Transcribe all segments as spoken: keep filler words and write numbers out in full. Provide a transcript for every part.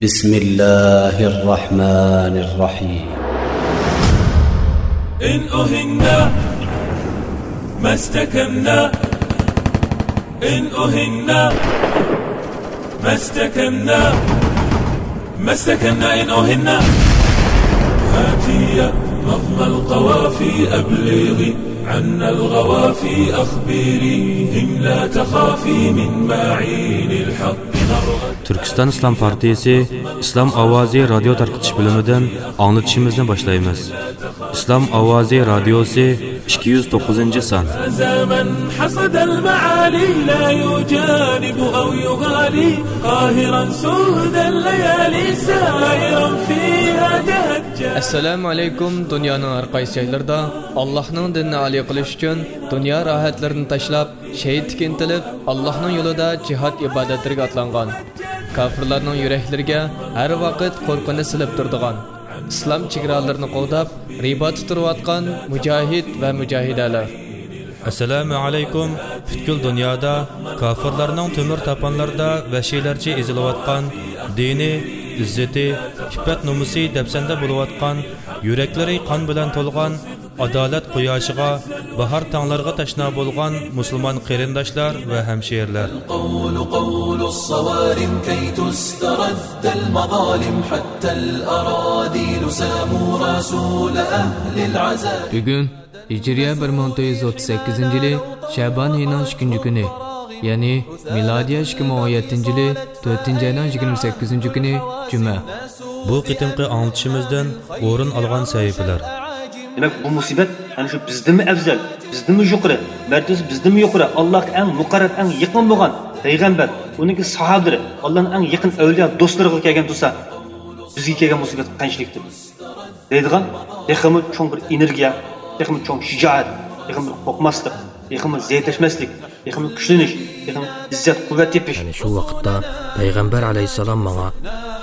بسم الله الرحمن الرحيم. إن أهنا ما استكنا، إن أهنا ما استكنا، ما استكنا إن أهنا. هاتي يا نظم القوافي أبلغي عنا الغوافي أخبريهم لا تخافي من معين الحق نرغت. تۈركىستان ئىسلام پارتىيىسى ئىسلام ئاۋازى رادىيو تارقىتىش بۆلۈمىدىن ئاڭلىتىشىمىزنى باشلايمىز. ئىسلام ئاۋازى رادىيوسى، ئىككى يۈز توققۇزىنچى سان. زمن حصد المعالي لا يجانب أو يغالي قاهرا سود الليالي سائرا فيها تهجى. ئەسسالامۇ ئەلەيكۇم، دۇنيانىڭ ھەر قايسى جايلىرىدا ئاللاھنىڭ دىنىنى ئالىي قىلىش ئۈچۈن دۇنيا راھەتلىرىنى تاشلاپ، شېھىتلىككە ئىنتىلىپ، ئاللاھنىڭ يولىدا جىھاد ئىبادەتلىرىگە ئاتلانغان، كاپىرلارنىڭ يۈرەكلىرىگە ھەر ۋاقىت قورقۇنچ سېلىپ تۇرىدىغان، ئىسلام چېگرالىرىنى قوغداپ، رىباتتا تۇرۇۋاتقان مۇجاھىد ۋە مۇجاھىدەلەر. ئەسسالامۇ ئەلەيكۇم. پۈتكۈل دۇنيادا كاپىرلارنىڭ تۆمۈر تاپانلىرىدا ۋەھشىيلەرچە ئېزىلىۋاتقان، دىنى، ئىززىتى، ئىپپەت-نومۇسى دەپسەندە بولۇۋاتقان، يۈرەكلىرى قان بىلەن تولغان، ئادالەت قۇياشىغا، باھار تاڭلىرىغا تەشنا بولغان مۇسۇلمان قېرىنداشلار ۋە ھەمشىرىلەر. القول قول الصوارم كي تسترد المظالم حتى الأراذل ساموا رسول أهل العزاء. بۈگۈن ھىجرىيە بىر مىڭ تۆت يۈز ئوتتۇز سەككىزىنچى يىلى شەبان ئېيىنىڭ ئىككىنچى كۈنى، يەنى مىلادىيە ئىككى مىڭ ئون يەتتىنچى يىلى تۆتىنچى ئاينىڭ يىگىرمە سەككىزىنچى كۈنى جۈمە. بۇ قېتىمقى ئاڭلىتىشىمىزدىن ئورۇن ئالغان سەھىپىلەر. دېمەك، بۇ مۇسىبەت ئەنە شۇ بىزدىنمۇ ئەۋزەل، بىزدىنمۇ يۇقىرى، مەرتىۋىسى بىزدىنمۇ يۇقىرى، ئاللاھقا ئەڭ مۇقەررەب، ئەڭ يېقىن بولغان پەيغەمبەر، ئۇنىڭكى ساھابىلىرى، ئاللانىڭ ئەڭ يېقىن ئەۋلىيا دوستلىرىغا كەلگەن تۇرسا، بىزگە كەلگەن مۇسىبەت قانچىلىكتۇر؟ دەيدىغان تېخىمۇ چوڭ بىر ئېنېرگىيە، تېخىمۇ چوڭ شىجائەت، تېخىمۇ بىر قورقماسلىق، تېخىمۇ زەئىپلەشمەسلىك، تېخىمۇ كۈچلىنىش، تېخىمۇ ئىززەت-قۇۋۋەت تېپىش. ئەنە شۇ ۋاقىتتا پەيغەمبەر ئەلەيھىسسالام ماڭا،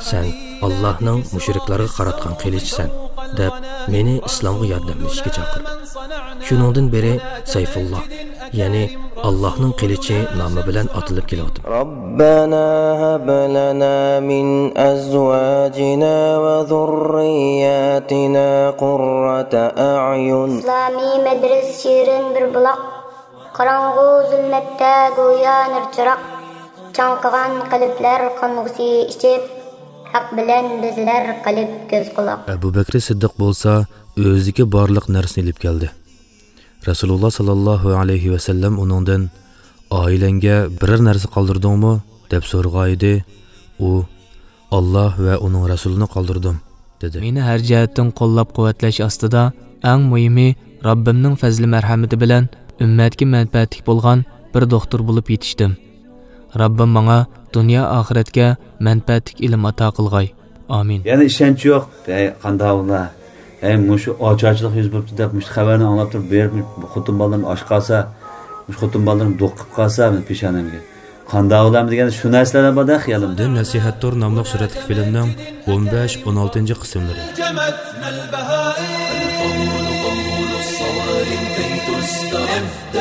«سەن ئاللاھنىڭ مۇشرىكلارغا قاراتقان قىلىچىسەن» دەپ، مېنى ئىسلامغا ياردەملىشىشكە چاقىردى. شۇنىڭدىن بېرى سەيفۇللا، يەنى ئاللاھنىڭ قىلىچى نامى بىلەن ئاتىلىپ كېلىۋاتىمەن. ربنا هب لنا من أزواجنا وذرياتنا قرة أعين. ئىسلامىي مەدرىسە شېرىن بىر بۇلاق، قاراڭغۇ زۇلمەتتە گويا نۇر چىراغ، چاڭقىغان قەلبلەر قانغۇسى ئىچىپ، ھەق بىلەن بېزىلەر قەلب، كۆز، قۇلاق. ئەبۇ بەكرى سىددىق بولسا ئۆزىدىكى بارلىق نەرسىنى ئېلىپ كەلدى. رەسۇلۇللا ساللاللاھۇ ئەلەيھى ۋەسەللەم ئۇنىڭدىن، «ئائىلەڭگە بىرەر نەرسە قالدۇردۇڭمۇ؟» دەپ سورىغانىدى. ئۇ، «ئاللا ۋە ئۇنىڭ رەسۇلىنى قالدۇردۇم» دېدى. مېنى ھەر جەھەتتىن قوللاپ-قۇۋۋەتلەش ئاستىدا، ئەڭ مۇھىمى، رەببىمنىڭ پەزلى-مەرھەمىتى بىلەن ئۈممەتكە مەنپەئەتلىك بولغان بىر دوختۇر بولۇپ يېتىشتىم. رەببىم ماڭا دۇنيا-ئاخىرەتكە مەنپەئەتلىك ئىلىم ئاتا قىلغاي. ئامىن. يەنە ئىشەنچ يوق. ھەي، قانداق ئۇلار؟ ھەي، مۇشۇ ئاچارچىلىق يۈز بېرىپتۇ دەپ، مۇشۇ خەۋەرنى ئاڭلاپ تۇرۇپ، بېرىپ، خوتۇن بالىلىرىم ئاچ قالسا، مۇشۇ خوتۇن بالىلىرىم دوق قىلىپ قالسا، مېنىڭ پېشانەمگە. قانداق ئۇلارمۇ دېگەندە، شۇ نەرسىلەر بار-دە خىيالىمدا. دىن نەسىھەتتۇر ناملىق سۈرەتلىك فىلىمنىڭ ئون بەش، ئون ئالتىنچى قىسىملىرى.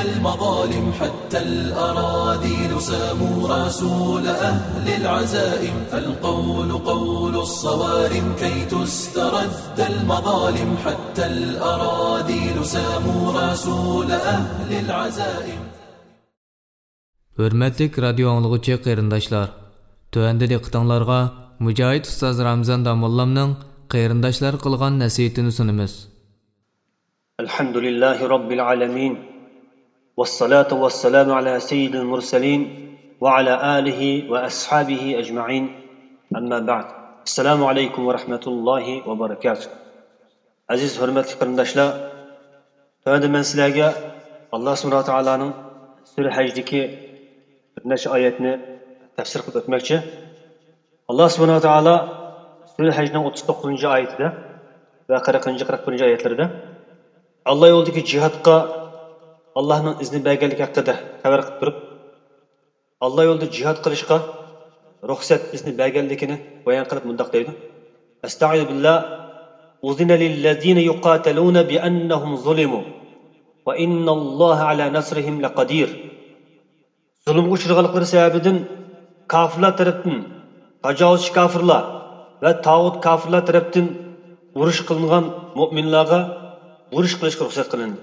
المظالم حتى الأراذل ساموا رسول أهل العزائم. القول قول الصوارم كي تسترد المظالم حتى الأراذل ساموا رسول أهل العزائم. ھۆرمەتلىك رادىيو ئاڭلىغۇچى قېرىنداشلار، تۆۋەندە دىققىتىڭلارغا مۇجاھىد ئۇستاز رامىزان داموللامنىڭ قېرىنداشلارغا قىلغان نەسىھىتىنى سۇنىمىز. الحمد لله رب العالمين، والصلاة والسلام على سيد المرسلين وعلى آله وأصحابه أجمعين. أما بعد. السلام عليكم ورحمة الله وبركاته. ئەزىز ھۆرمەتلىك قېرىنداشلار، تۆۋەندە مەن سىلەرگە ئاللا سۇبھانەھۇ ۋە تائالانىڭ سۈرە ھەجدىكى بىر نەچچە ئايەتنى تەپسىر قىلىپ ئۆتمەكچى. ئاللا سۇبھانەھۇ ۋە تائالا سۈرە ھەجنىڭ ئوتتۇز توققۇزىنچى ئايىتىدە ۋە قىرىقىنچى، قىرىق بىرىنچى ئايەتلىرىدە ئاللا يولىدىكى جىھادقا ئاللانىڭ ئىزنى بەرگەنلىكى ھەققىدە خەۋەر قىلىپ تۇرۇپ، ئاللا يولىدا جىھاد قىلىشقا رۇخسەت، ئىزنى بەرگەنلىكىنى بايان قىلىپ مۇنداق دەيدۇ: أستعيذ بالله. أذن للذين يقاتلون بأنهم ظلموا وإن الله على نصرهم لقدير. زۇلۇمغا ئۇچرىغانلىقلىرى سەۋەبىدىن كاپىرلار تەرەپتىن، تاجاۋۇزچى كاپىرلار ۋە تاغۇت كاپىرلار تەرەپتىن ئۇرۇش قىلىنغان مۆمىنلارغا ئۇرۇش قىلىشقا رۇخسەت قىلىندى.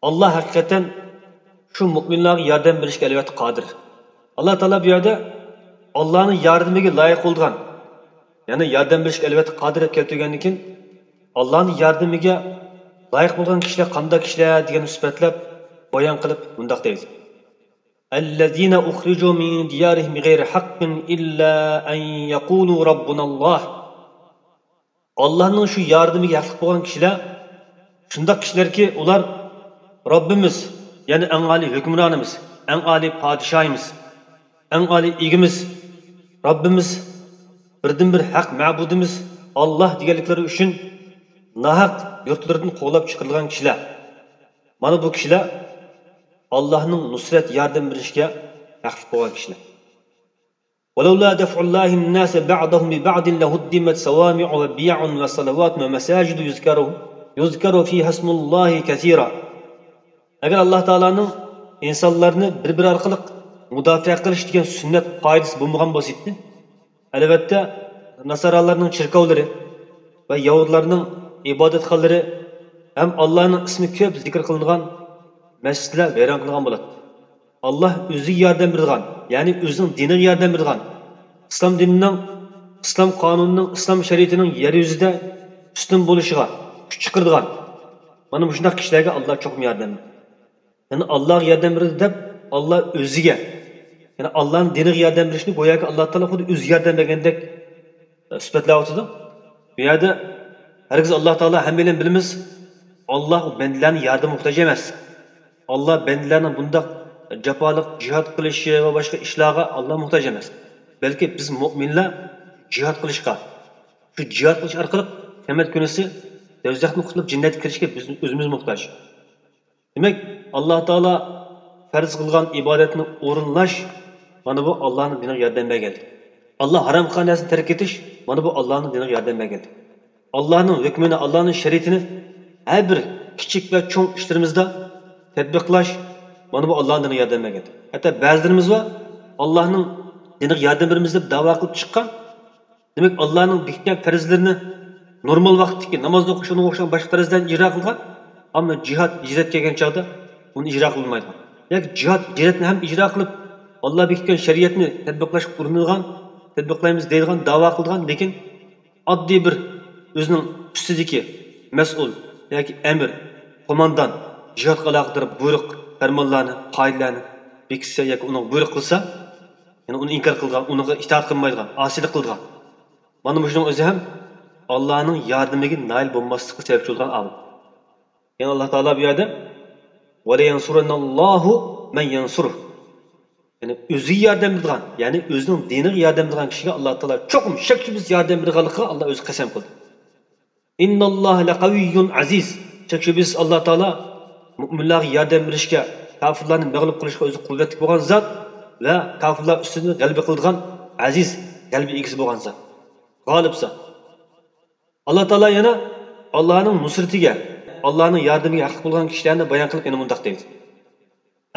ئاللا ھەقىقەتەن شۇ مۆمىنلارغا ياردەم بېرىشكە ئەلۋەتتە قادىر. ئاللا تائالا بۇ يەردە ئاللانىڭ ياردىمىگە لايىق بولىدىغان، يەنى ياردەم بېرىشكە ئەلۋەتتە قادىر دەپ كەلتۈرگەندىن كېيىن، ئاللانىڭ ياردىمىگە لايىق بولغان كىشىلەر قانداق كىشىلەر دېگەننى سۈپەتلەپ بايان قىلىپ مۇنداق دەيدۇ. الذين أخرجوا من ديارهم بغير حق إلا أن يقولوا ربنا الله. ئاللانىڭ شۇ ياردىمىگە ھەقلىق بولغان كىشىلەر شۇنداق كىشىلەركى، ئۇلار رەببىمىز، يەنى ئەڭ ئالىي ھۆكۈمرانىمىز، ئەڭ ئالىي پادىشاھىمىز، ئەڭ ئالىي ئىگىمىز، رەببىمىز، بىردىنبىر ھەق مەبۇدىمىز ئاللا دېگەنلىكلىرى ئۈچۈن ناھەق يۇرتلىرىدىن قوغلاپ چىقىرىلغان كىشىلەر. مانا بۇ كىشىلەر ئاللانىڭ نۇسرەت ياردەم بېرىشىگە ھەقلىق بولغان كىشىلەر. ولولا دفع الله الناس بعضهم ببعض لهدمت صوامع وبيع وصلوات ومساجد يذكر يذكر فيها اسم الله كثيرا. ئەگەر ئاللا تائالانىڭ ئىنسانلارنى بىر-بىرى ئارقىلىق مۇداپىئە قىلىش دېگەن سۈننەت قائىدىسى بولمىغان بولسىدى، ئەلۋەتتە، ناسارالارنىڭ چېركاۋلىرى ۋە يەھۇدلارنىڭ ئىبادەتخانىلىرى ھەم ئاللانىڭ ئىسمى كۆپ زىكىر قىلىنغان مەسچىتلەر ۋەيران قىلغان بولاتتى. ئاللا ئۆزىگە ياردەم بېرىدىغان، يەنى ئۆزىنىڭ دىنىغا ياردەم بېرىدىغان، ئىسلام دىنىنىڭ، ئىسلام قانۇنىنىڭ، ئىسلام شەرىئىتىنىڭ يەر يۈزىدە ئۈستۈن بولۇشىغا كۈچ چىقىرىدىغان، مانا مۇشۇنداق كىشىلەرگە ئاللا چوقۇم ياردەم بېرىدۇ. يەنى ئاللاغا ياردەم بېرىدۇ دەپ، ئاللا ئۆزىگە، يەنى ئاللانىڭ دىنىغا ياردەم بېرىشنى گوياكى ئاللا تائالا خۇددى ئۆزىگە ياردەم بەرگەندەك، ئە، سۈپەتلەۋاتىدۇ. بۇ يەردە ھەرگىز ئاللا تائالا، ھەممەيلەن بىلىمىز، ئاللا ئۇ بەندىلەرنىڭ ياردىمىگە موھتاج ئەمەس. ئاللا بەندىلەرنىڭ بۇنداق جاپالىق جىھاد قىلىشى ۋە باشقا ئىشلارغا ئاللا موھتاج ئەمەس. بەلكى بىز مۆمىنلەر جىھاد قىلىشقا، شۇ جىھاد قىلىش ئارقىلىق قىيامەت كۈنىسى دوزاختىن قۇتۇلۇپ جەننەتكە كىرىشكە بىز ئۆزىمىز موھتاج. دېمەك، ئاللا تائالا پەرز قىلغان ئىبادەتنى ئورۇنلاش، مانا بۇ ئاللانىڭ دىنىغا ياردەم بەرگەنلىك. ئاللا ھارام قىلغان نەرسىنى تەرك ئېتىش، مانا بۇ ئاللانىڭ دىنىغا ياردەم بەرگەنلىك. ئاللانىڭ ھۆكمىنى، ئاللانىڭ شەرىئىتىنى ھەر بىر كىچىك ۋە چوڭ ئىشلىرىمىزدا تەتبىقلاش، مانا بۇ ئاللانىڭ دىنىغا ياردەم بەرگەنلىك. ھەتتا بەزىلىرىمىز بار، ئاللانىڭ دىنىغا ياردەم بېرىمىز دەپ داۋا قىلىپ چىققان، دېمەك، ئاللانىڭ بېكىتكەن پەرزلىرىنى نورمال ۋاقىتتىكى ناماز ئوقۇش، ئۇنىڭغا ئوخشىغان باشقا پەرزلەرنى ئىجرا قىلغان، ئەمما جىھاد، ھىجرەت كەلگەن چاغدا ئۇنى ئىجرا قىلالمايدىغان. ياكى جىھاد، ھىجرەتنى ھەم ئىجرا قىلىپ، ئاللا بېكىتكەن شەرىئەتنى تەتبىقلاشقا ئۇرۇنىدىغان، تەتبىقلايمىز دەيدىغان، داۋا قىلىدىغان، لېكىن ئاددىي بىر ئۆزىنىڭ ئۈستىدىكى مەسئۇل ياكى ئەمىر، قوماندان جىھادقا ئالاقىدار بۇيرۇق، پەرمانلارنى، قائىدىلەرنى بېكىتسە ياكى ئۇنىڭغا بۇيرۇق قىلسا، يەنى ئۇنى ئىنكار قىلىدىغان، ئۇنىڭغا ئىتائەت قىلمايدىغان، ئاسىيلىق قىلىدىغان، مانا مۇشۇنىڭ ئۆزى ھەم ئاللانىڭ ياردىمىگە نائىل بولماسلىققا سەۋەبچى بولىدىغان ئامىل. يەنى ئاللا تائالا بۇ يەردە، ولينصرن الله من ينصره، يەنى ئۆزىگە ياردەم بېرىدىغان، يەنى ئۆزىنىڭ دىنىغا ياردەم بېرىدىغان كىشىگە ئاللا تائالا چوقۇم شەك-شۈبھىسىز ياردەم بېرىدىغانلىقىغا ئاللا ئۆزى قەسەم قىلدى. إن الله لقوي عزيز. شەك-شۈبھىسىز ئاللا تائالا مۆمىنلەرگە ياردەم بېرىشكە، كاپىرلارنى مەغلۇپ قىلىشقا ئۆزى قۇۋۋەتلىك بولغان زات ۋە كاپىرلار ئۈستىدىن غەلىبە قىلىدىغان ئەزىز، غەلىبە ئىگىسى بولغان زات. غالىب زات. ئاللا تائالا يەنە ئاللانىڭ نۇسرىتىگە، ئاللانىڭ ياردىمىگە ھەقلىق بولغان كىشىلەرنى بايان قىلىپ يەنە مۇنداق دەيدۇ.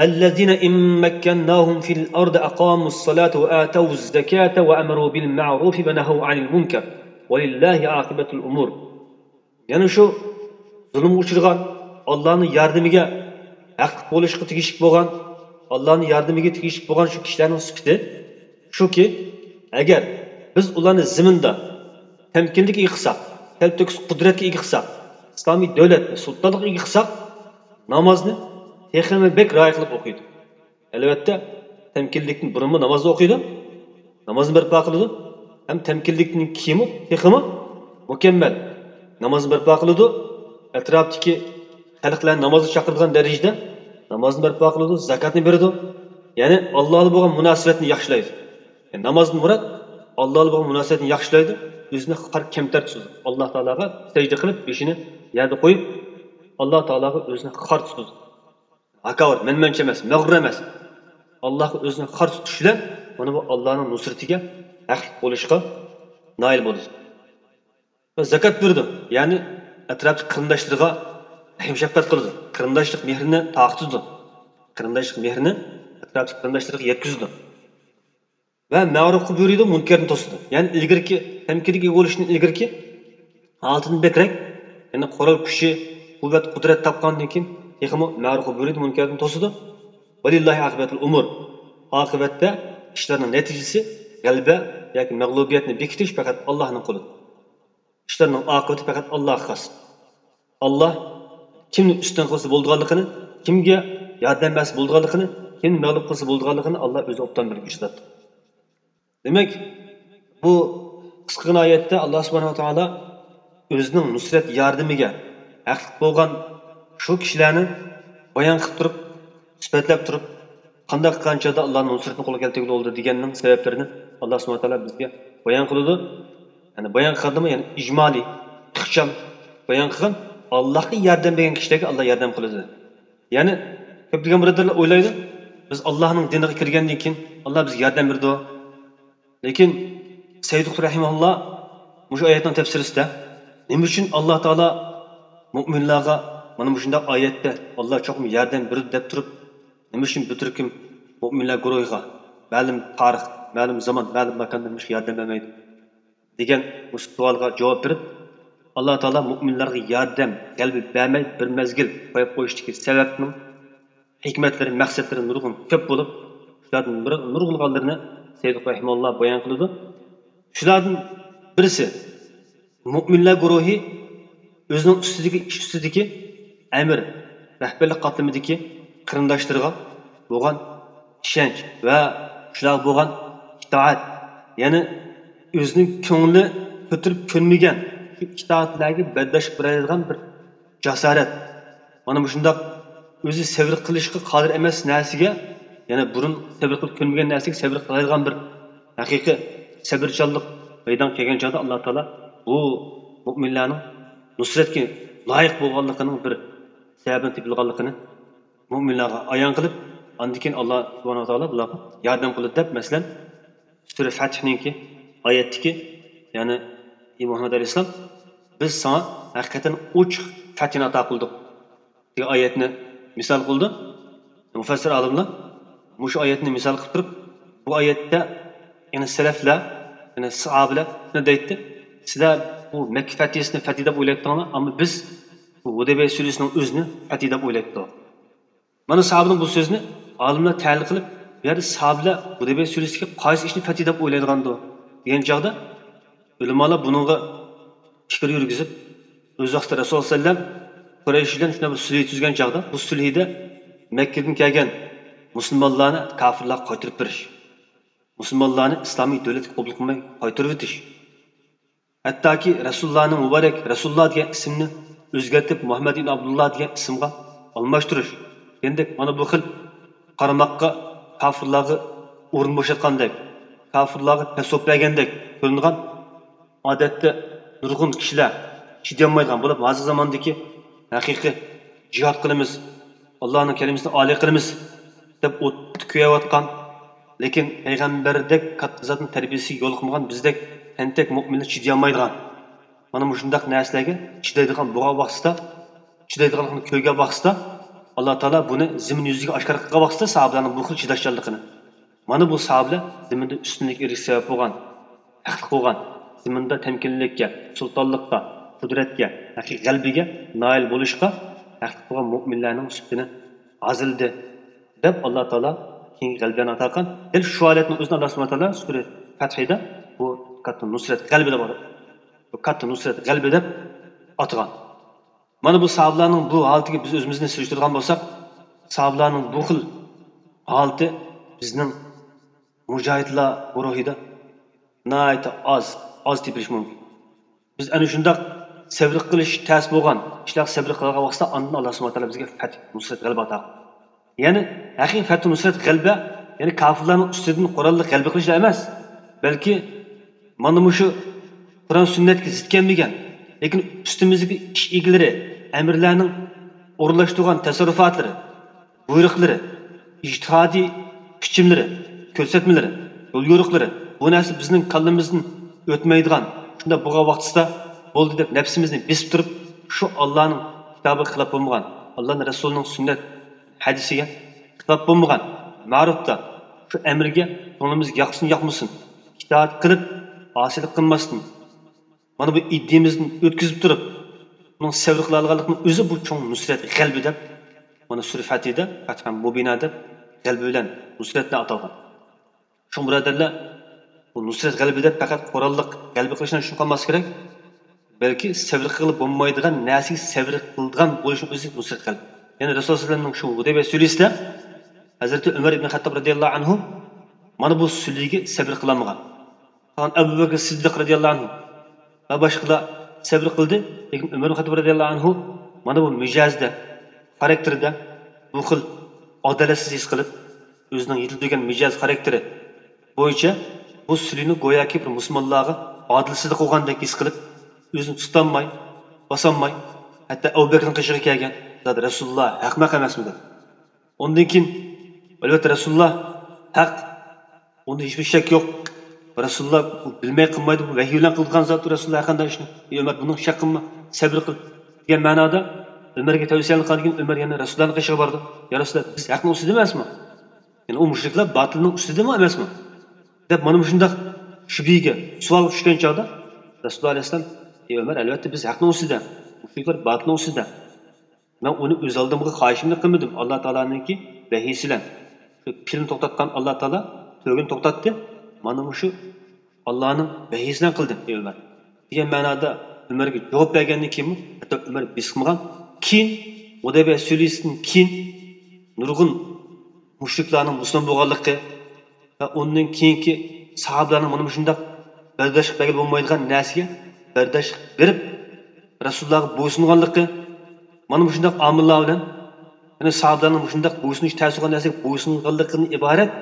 الذين إن مكناهم في الأرض أقاموا الصلاة وآتوا الزكاة وأمروا بالمعروف ونهوا عن المنكر ولله عاقبة الأمور. يەنى شۇ زۇلۇمغا ئۇچرىغان، ئاللانىڭ ياردىمىگە ھەقلىق بولۇشقا تېگىشلىك بولغان، ئاللانىڭ ياردىمىگە تېگىشلىك بولغان شۇ كىشىلەرنىڭ سۈپىتى شۇكى، ئەگەر بىز ئۇلارنى زېمىندا تەمكىنلىككە ئىگە قىلساق، تەلتۆكۈس قۇدرەتكە ئىگە قىلساق، ئىسلامىي دۆلەتنى، سۇلتانلىققا ئىگە قىلساق، نامازنى تېخىمۇ بەك رىئايە قىلىپ ئوقۇيدۇ. ئەلۋەتتە، تەمكىنلىكتىن بۇرۇنمۇ نامازنى ئوقۇيدۇ، نامازنى بەرپا قىلىدۇ، ھەم تەمكىنلىكتىن كېيىنمۇ تېخىمۇ مۇكەممەل نامازنى بەرپا قىلىدۇ، ئەتراپتىكى خەلقلەرنى نامازغا چاقىرىدىغان دەرىجىدە نامازنى بەرپا قىلىدۇ، زاكاتنى بېرىدۇ. يەنى ئاللا بىلەن بولغان مۇناسىۋەتنى ياخشىلايدۇ. يەنى نامازدىن مۇراد، ئاللا بىلەن بولغان مۇناسىۋەتنى ياخشىلايدۇ، ئۆزىنى خار كەمتەر تۇتىدۇ. ئاللا تائالاغا سەجدە قىلىپ، بېشىنى يەردە قويۇپ، ئاللا تائالاغا ئۆزىنى خار تۇتىدۇ. ھاكاۋۇر، مەنمەنچە ئەمەس، مەغرۇر ئەمەس. ئاللاغا ئۆزىنى خار تۇتۇش بىلەن مانا بۇ ئاللانىڭ نۇسرىتىگە ھەقلىق بولۇشقا نائىل بولىدۇ. ۋە زاكات بېرىدۇ، يەنى ئەتراپتىكى قېرىنداشلىرىغا رەھىم-شەپقەت قىلىدۇ، قېرىنداشلىق مېھرىنى تارقىتىدۇ، قېرىنداشلىق مېھرىنى ئەتراپتىكى قېرىنداشلىرىغا يەتكۈزىدۇ. ۋە مەرۇپقا بۇيرۇيدۇ، مۇنكەردىن توسىدۇ. يەنى ئىلگىرىكى تەمكىنلىك ئىگە بولۇشتىن ئىلگىرىكى ھالىتىدىن بەكرەك، يەنى قورال كۈچى، قۇۋۋەت، قۇدرەت تاپقاندىن كېيىن تېخىمۇ مەرۇپقا بۇيرۇيدۇ، مۇنكەردىن توسىدۇ. ۋەلىللاھى ئاقىبەتۇل ئۇمۇر. ئاقىۋەتتە ئىشلارنىڭ نەتىجىسى، غەلىبە ياكى مەغلۇبىيەتنى بېكىتىش پەقەت ئاللاھنىڭ قولىدا. ئىشلارنىڭ ئاقىۋىتى پەقەت ئاللاھقا خاس. ئاللا كىمنى ئۈستۈن قىلسا بولىدىغانلىقىنى، كىمگە ياردەم بەرسە بولىدىغانلىقىنى، كىمنى مەغلۇپ قىلسا بولىدىغانلىقىنى ئاللا ئۆزى ئوبدان بىلگۈچى زات. دېمەك، بۇ قىسقىغىنا ئايەتتە ئاللا سۇبھانەھۇ ۋە تائالا ئۆزىنىڭ نۇسرەت ياردىمىگە ھەقلىق بولغان شۇ كىشىلەرنى بايان قىلىپ تۇرۇپ، سۈپەتلەپ تۇرۇپ، قانداق قىلغان چاغدا ئاللانىڭ نۇسرىتىنى قولغا كەلتۈرگىلى بولىدۇ دېگەننىڭ سەۋەبلىرىنى ئاللا سۇبھانەھۇ ۋە تائالا بىزگە بايان قىلىدۇ. يەنى بايان قىلغاندىمۇ، يەنى ئىجمالىي، ئىخچام بايان قىلغان، ئاللاھقا ياردەم بەرگەن كىشىلەرگە ئاللا ياردەم قىلىدۇ. يەنى كۆپلىگەن بۇرادەرلەر ئويلايدۇ، بىز ئاللاھنىڭ دىنىغا كىرگەندىن كېيىن ئاللا بىزگە ياردەم بېرىدۇ. لېكىن سەييىد قۇتب رەھىمەھۇللا مۇشۇ ئايەتنىڭ تەپسىرىسىدە نېمە ئۈچۈن ئاللا تائالا مۇئمىنلارغا مانا مۇشۇنداق ئايەتتە ئاللا چوقۇم ياردەم بېرىدۇ دەپ تۇرۇپ، نېمە ئۈچۈن بىر تۈركۈم مۇئمىنلار گۇرۇھىغا مەلۇم تارىخ، مەلۇم زامان، مەلۇم ماكاندا مۇشۇ ياردەم بەرمەيدۇ؟ دېگەن مۇشۇ سوئالغا جاۋاب بېرىپ، ئاللا تائالا مۇئمىنلارغا ياردەم، غەلىبە بەرمەي بىر مەزگىل قويۇپ قويۇشتىكى سەۋەبنىڭ ھېكمەتلىرى، مەقسەتلىرى نۇرغۇن كۆپ بولۇپ، شۇلاردىن بىر نۇرغۇنلىغانلىرىنى سەييىد رەھىمەھۇللا بايان قىلىدۇ. شۇلاردىن بىرسى، مۇئمىنلار گۇرۇھى ئۆزىنىڭ ئۈستىدىكى، ئىش ئۈستىدىكى ئەمىر، رەھبەرلىك قاتلىمىدىكى قېرىنداشلىرىغا بولغان ئىشەنچ ۋە شۇلارغا بولغان ئىتائەت، يەنى ئۆزىنىڭ كۆڭلى كۆتۈرۈپ كۆنمىگەن شۇ ئىتائەتلەرگە بەرداشلىق بېرەلەيدىغان بىر جاسارەت. مانا مۇشۇنداق ئۆزى سەۋر قىلىشقا قادىر ئەمەس نەرسىگە، يەنى بۇرۇن سەۋر قىلىپ كۆنمىگەن نەرسىگە سەۋر قىلالايدىغان بىر ھەقىقىي سەۋرچانلىق مەيدانغا كەلگەن چاغدا، ئاللا تائالا بۇ مۇئمىنلارنىڭ نۇسرەتكە لايىق بولغانلىقىنىڭ بىر سەۋەبىنى تېپىلغانلىقىنى مۇئمىنلارغا ئايان قىلىپ، ئاندىن كېيىن ئاللا سۇبھانەھۇ ۋە تائالا بۇلارغا ياردەم قىلدى دەپ، مەسىلەن، سۈرە فەتھنىڭكى ئايەتتىكى، يەنى، ئى مۇھەممەد ئەلەيھىسسالام، بىز ساڭا ھەقىقەتەن ئوچۇق فەتھنى ئاتا قىلدۇق، دېگەن ئايەتنى مىسال قىلدى. مۇفەسسىر ئالىملار مۇشۇ ئايەتنى مىسال قىلىپ تۇرۇپ، بۇ ئايەتتە، يەنى سەلەفلەر، يەنى ساھابىلەر شۇنى دەيتتى، سىلەر بۇ مەككە فەتھىسىنى فەتھى دەپ ئويلايتتىڭلار، ئەمما بىز بۇ ھۇدەيبىيە سۈرىسىنىڭ ئۆزىنى فەتھى دەپ ئويلايتتۇق. مانا ساھابىنىڭ بۇ سۆزىنى ئالىملار تەھلىل قىلىپ، بۇ يەردە ساھابىلەر ھۇدەيبىيە سۈرىسىدىكى قايسى ئىشنى فەتھى دەپ ئويلايدىغاندۇ دېگەن چاغدا، ئۆلىمالار بۇنىڭغا پىكىر يۈرگۈزۈپ، ئۆز ۋاقتىدا رەسۇل سەللەم قۇرەيش بىلەن شۇنداق بىر سۈلھى تۈزگەن چاغدا، بۇ سۈلھىدە مەككىدىن كەلگەن مۇسۇلمانلارنى كاپىرلارغا قايتۇرۇپ بېرىش، مۇسۇلمانلارنى ئىسلامىي دۆلەتكە قوبۇل قىلماي قايتۇرۇۋېتىش، ھەتتاكى رەسۇلۇللانىڭ مۇبارەك رەسۇلۇللا دېگەن ئىسىمنى ئۆزگەرتىپ، مۇھەممەد ئىبن ئابدۇللا دېگەن ئىسىمغا ئالماشتۇرۇش دېگەندەك، مانا بۇ خىل قارىماققا كاپىرلارغا ئورۇن بوشاتقاندەك، كاپىرلارغا پەسۋاپ بەرگەندەك كۆرۈنىدىغان، ئادەتتە نۇرغۇن كىشىلەر چىدىيالمايدىغان بولۇپ، ھازىرقى زاماندىكى ھەقىقىي جىھاد قىلىمىز، ئاللانىڭ كەلىمىسىنى ئالىي قىلىمىز دەپ ئوتتا كۆيۈۋاتقان، لېكىن پەيغەمبەردەك كاتتا زاتنىڭ تەربىيەسىگە يولۇقمىغان بىزدەك تەنتەك مۆمىنلەر چىدىيالمايدىغان، مانا مۇشۇنداق نەرسىلەرگە چىدايدىغان بولغان ۋاقتىدا، چىدايدىغانلىقىنى كۆرگەن ۋاقتىدا، ئاللا تائالا بۇنى زېمىن يۈزىگە ئاشكارا قىلغان ۋاقتىدا ساھابىلەرنىڭ بۇ خىل چىداشچانلىقىنى، مانا بۇ ساھابىلەر زېمىندا ئۈستۈنلۈككە ئېرىشىش سەۋەب بولغان، ھەقلىق بولغان، زېمىندا تەمكىنلىككە، سۇلتانلىققا، قۇدرەتكە، ھەقىقىي غەلىبىگە نائىل بولۇشقا ھەقلىق بولغان مۆمىنلەرنىڭ سۈپىتىنى ھازىرلىدى، دەپ ئاللا تائالا كېيىنكى غەلىبىلەرنى ئاتا قىلغان. دەل شۇ ھالەتنىڭ ئۆزىنى ئاللا سۇبھانەھۇ ۋە تائالا سۈرە فەتھىدە بۇ كاتتا نۇسرەت غەلىبە دەپ، بۇ كاتتا نۇسرەت غەلىبە دەپ ئاتىغان. مانا بۇ ساھابىلەرنىڭ بۇ ھالىتىگە بىز ئۆزىمىزنى سېلىشتۇرىدىغان بولساق، ساھابىلەرنىڭ بۇ خىل ھالىتى بىزنىڭ مۇجاھىدلار گۇرۇھىدا ناھايىتى ئاز، ئاز تېپىلىشى مۇمكىن. بىز ئەنە شۇنداق سەۋر قىلىش تەس بولغان، ئىشلار سەۋر قىلغان ۋاقتىدا ئاندىن ئاللا سۇبھانەھۇ ۋە تائالا بىزگە پەتھ، نۇسرەت، غەلىبە ئاتا قىلىدۇ. يەنى ھەقىقىي پەتھۇ نۇسرەت، غەلىبە، يەنى كاپىرلارنىڭ ئۈستىدىن قوراللىق غەلىبە قىلىشلا ئەمەس، بەلكى مانا مۇشۇ قۇرئان سۈننەتكە زىت كەلمىگەن، لېكىن ئۈستىمىزدىكى ئىش ئىگىلىرى، ئەمىرلەرنىڭ ئورۇنلاشتۇرغان تەسەررۇپاتلىرى، بۇيرۇقلىرى، ئىجتىھادىي پىچىملىرى، كۆرسەتمىلىرى، يوليورۇقلىرى، بۇ نەرسە بىزنىڭ كاللىمىزدىن ئۆتمەيدىغان، شۇنداق بولغان ۋاقتىسىدا بولدى دەپ نەپسىمىزنى بېسىپ تۇرۇپ، شۇ ئاللانىڭ كىتابىغا خىلاپ بولمىغان، ئاللانىڭ رەسۇلىنىڭ سۈننەت ھەدىسىگە خىلاپ بولمىغان، مەرۇپتا، شۇ ئەمرگە كۆڭلىمىز ياقسۇن ياقمىسۇن، ئىتائەت قىلىپ، ئاسىيلىق قىلماستىن، مانا بۇ ئىدىيىمىزدىن ئۆتكۈزۈپ تۇرۇپ، ئۇنىڭ سەۋر قىلالىغانلىقىنىڭ ئۆزى بۇ چوڭ نۇسرەت، غەلىبە دەپ، مانا سۈرە فەتھىدە، فەتھەن مۇبىنا دەپ، غەلىبە بىلەن نۇسرەت دەپ ئاتالغان. شۇڭا بۇرادەرلەر، بۇ نۇسرەت غەلىبە دەپ پەقەت قوراللىق غەلىبە قىلىشنىڭ ئىچىدە قالماسلىق كېرەك، بەلكى سەۋر قىلغىلى بولمايدىغان نەرسىگە سەۋر قىلىدىغان بولۇشنىڭ ئۆزى نۇسرەت غەلىبە. يەنى رەسۇلۇللا سەللەللاھۇ ئەلەيھى ۋەسەللەمنىڭ شۇ ھۇدەيبىيە سۈلھىسىدە ھەزرىتى ئۆمەر ئىبن خەتتاب رەزىياللاھۇ ئەنھۇ مانا بۇ سۈلھىگە سەۋر قىلالمىغان. قالغان ئەبۇ بەكرى سىددىق رەزىياللاھۇ ئەنھۇ ۋە باشقىلار سەۋر قىلدى، لېكىن ئۆمەر ئىبن خەتتاب رەزىياللاھۇ ئەنھۇ مانا بۇ مىجەزىدە، خاراكتېرىدە بۇ خىل ئادالەتسىز ھېس قىلىپ، ئۆزىنىڭ يېتىلدۈرگەن مىجەز خاراكتېرى بويىچە بۇ سۈلھىنى گوياكى بىر مۇسۇلمانلارغا ئادىلسىزلىك قىلغاندەك ھېس قىلىپ، ئۆزىنى تۇتالماي، باسالماي، ھەتتا ئەبۇ بەكرىنىڭ قېشىغا كەلگەن، زادى رەسۇلۇللا ھەقمۇ ھەق ئەمەسمۇ دەپ. ئۇندىن كېيىن، ئەلۋەتتە، رەسۇلۇللا ھەق، ئۇندا ھېچبىر شەك يوق. رەسۇلۇللا بۇ بىلمەي قىلمايدۇ، بۇ ۋەھىي بىلەن قىلىدىغان زاتتۇر رەسۇلۇللا ھەر قانداق ئىشنى. ئى ئۆمەر، بۇنىڭ شەك قىلما، سەۋر قىل، دېگەن مەنادا ئۆمەرگە تەۋسىيەنى قىلغاندىن كېيىن، ئۆمەر يەنە رەسۇلۇللانىڭ قېشىغا بارىدۇ. يا رەسۇلۇللا، بىز ھەقنىڭ ئۈستىدىمۇ ئەمەسمۇ؟ يەنى ئۇ مۇشرىكلار باتىلنىڭ ئۈستىدىمۇ ئەمەسمۇ؟ دەپ، مانا مۇشۇنداق شۈبھىگە، سوئالغا چۈشكەن چاغدا، رەسۇلۇللا ئەلەيھىسسالام، ئى ئۆمەر، ئەلۋەتتە، بىز ھەقنىڭ ئۈستىدە، مۇشرىكلار باتىلنىڭ ئۈستىدە. مەن ئۇنى ئۆز ئالدىمغا خاھىشىمنى قىلمىدىم، ئاللا تائالانىڭكى ۋەھىيسى بىلەن. شۇ پىلنى توختاتقان ئاللا تائالا تۆگىنى توختاتتى. مانا مۇشۇ ئاللانىڭ ۋەھىيسى بىلەن قىلدىم، ئى ئۆمەر، دېگەن مەنادا ئۆمەرگە جاۋاب بەرگەندىن كېيىنمۇ ھەتتا ئۆمەر بېسىقمىغان. كېيىن ھۇدەيبىيە سۈلھىسىدىن كېيىن نۇرغۇن مۇشرىكلارنىڭ مۇسۇلمان بولغانلىقى ۋە ئۇندىن كېيىنكى ساھابىلەرنىڭ مانا مۇشۇنداق بەرداشلىق بەرگىلى بولمايدىغان نەرسىگە بەرداشلىق بېرىپ، رەسۇلۇللاغا بويسۇنغانلىقى، مانا مۇشۇنداق ئامىللار بىلەن، يەنى ساھابىلەرنىڭ مۇشۇنداق بويسۇنۇش تەس بولغان نەرسىگە بويسۇنغانلىقىدىن ئىبارەت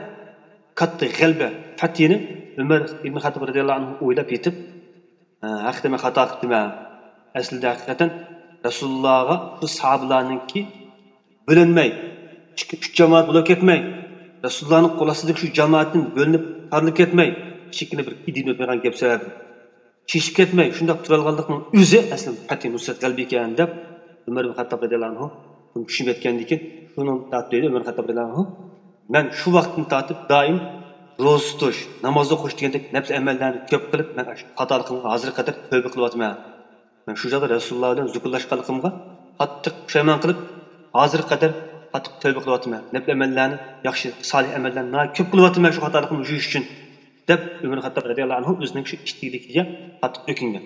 كاتتا غەلىبە، پەتھىنى ئۆمەر ئىبن خەتتاب رەزىياللاھۇ ئەنھۇ ئويلاپ يېتىپ، ھە، ھەقىقەتەن مەن خاتا قىپتىمەن. ئەسلىدە ھەقىقەتەن رەسۇلۇللاغا شۇ ساھابىلەرنىڭكى بۆلۈنمەي، ئىككى، ئۈچ جامائەت بولۇپ كەتمەي، رەسۇلۇللانىڭ قول ئاستىدىكى شۇ جامائەتتىن بۆلۈنۈپ، تارىلىپ كەتمەي، كىچىككىنە بىر ئىدىيىدىن ئۆتمەيدىغان گەپ سەۋەبىدىن چېچىپ كەتمەي، شۇنداق تۇرالىغانلىقنىڭ ئۆزى ئەسلى پەتھى نۇسرەت غەلىبە ئىكەن دەپ، ئۆمەر ئىبن خەتتاب رەزىياللاھۇ ئەنھۇ بۇنى چۈشىنىپ يەتكەندىن كېيىن، شۇنىڭدىن تارتىپ دەيدۇ ئۆمەر خەتتاب رەزىياللاھۇ ئەنھۇ، مەن شۇ ۋاقىتتىن تارتىپ دائىم روزا تۇتۇش، ناماز ئوقۇش دېگەندەك نەپلى ئەمەللەرنى كۆپ قىلىپ، مەن ئاشۇ خاتالىقىمغا ھازىرغا قەدەر تۆبە قىلىۋاتىمەن. مەن شۇ چاغدا رەسۇلۇللا بىلەن زۇكۇرلاشقانلىقىمغا قاتتىق پۇشايمان قىلىپ، ھازىرغا قەدەر قاتتىق تۆبە قىلىۋاتىمەن. نەپلى ئەمەللەرنى، ياخشى، سالىھ ئەمەللەرنى ناھايىتى كۆپ قىلىۋاتىمەن شۇ خاتالىقىمنى يۇيۇش ئۈچۈن، دەپ ئۆمەر خەتتاب رەزىياللاھۇ ئەنھۇ ئۆزىنىڭ شۇ ئىتتىكلىكىگە قاتتىق ئۆكۈنگەن.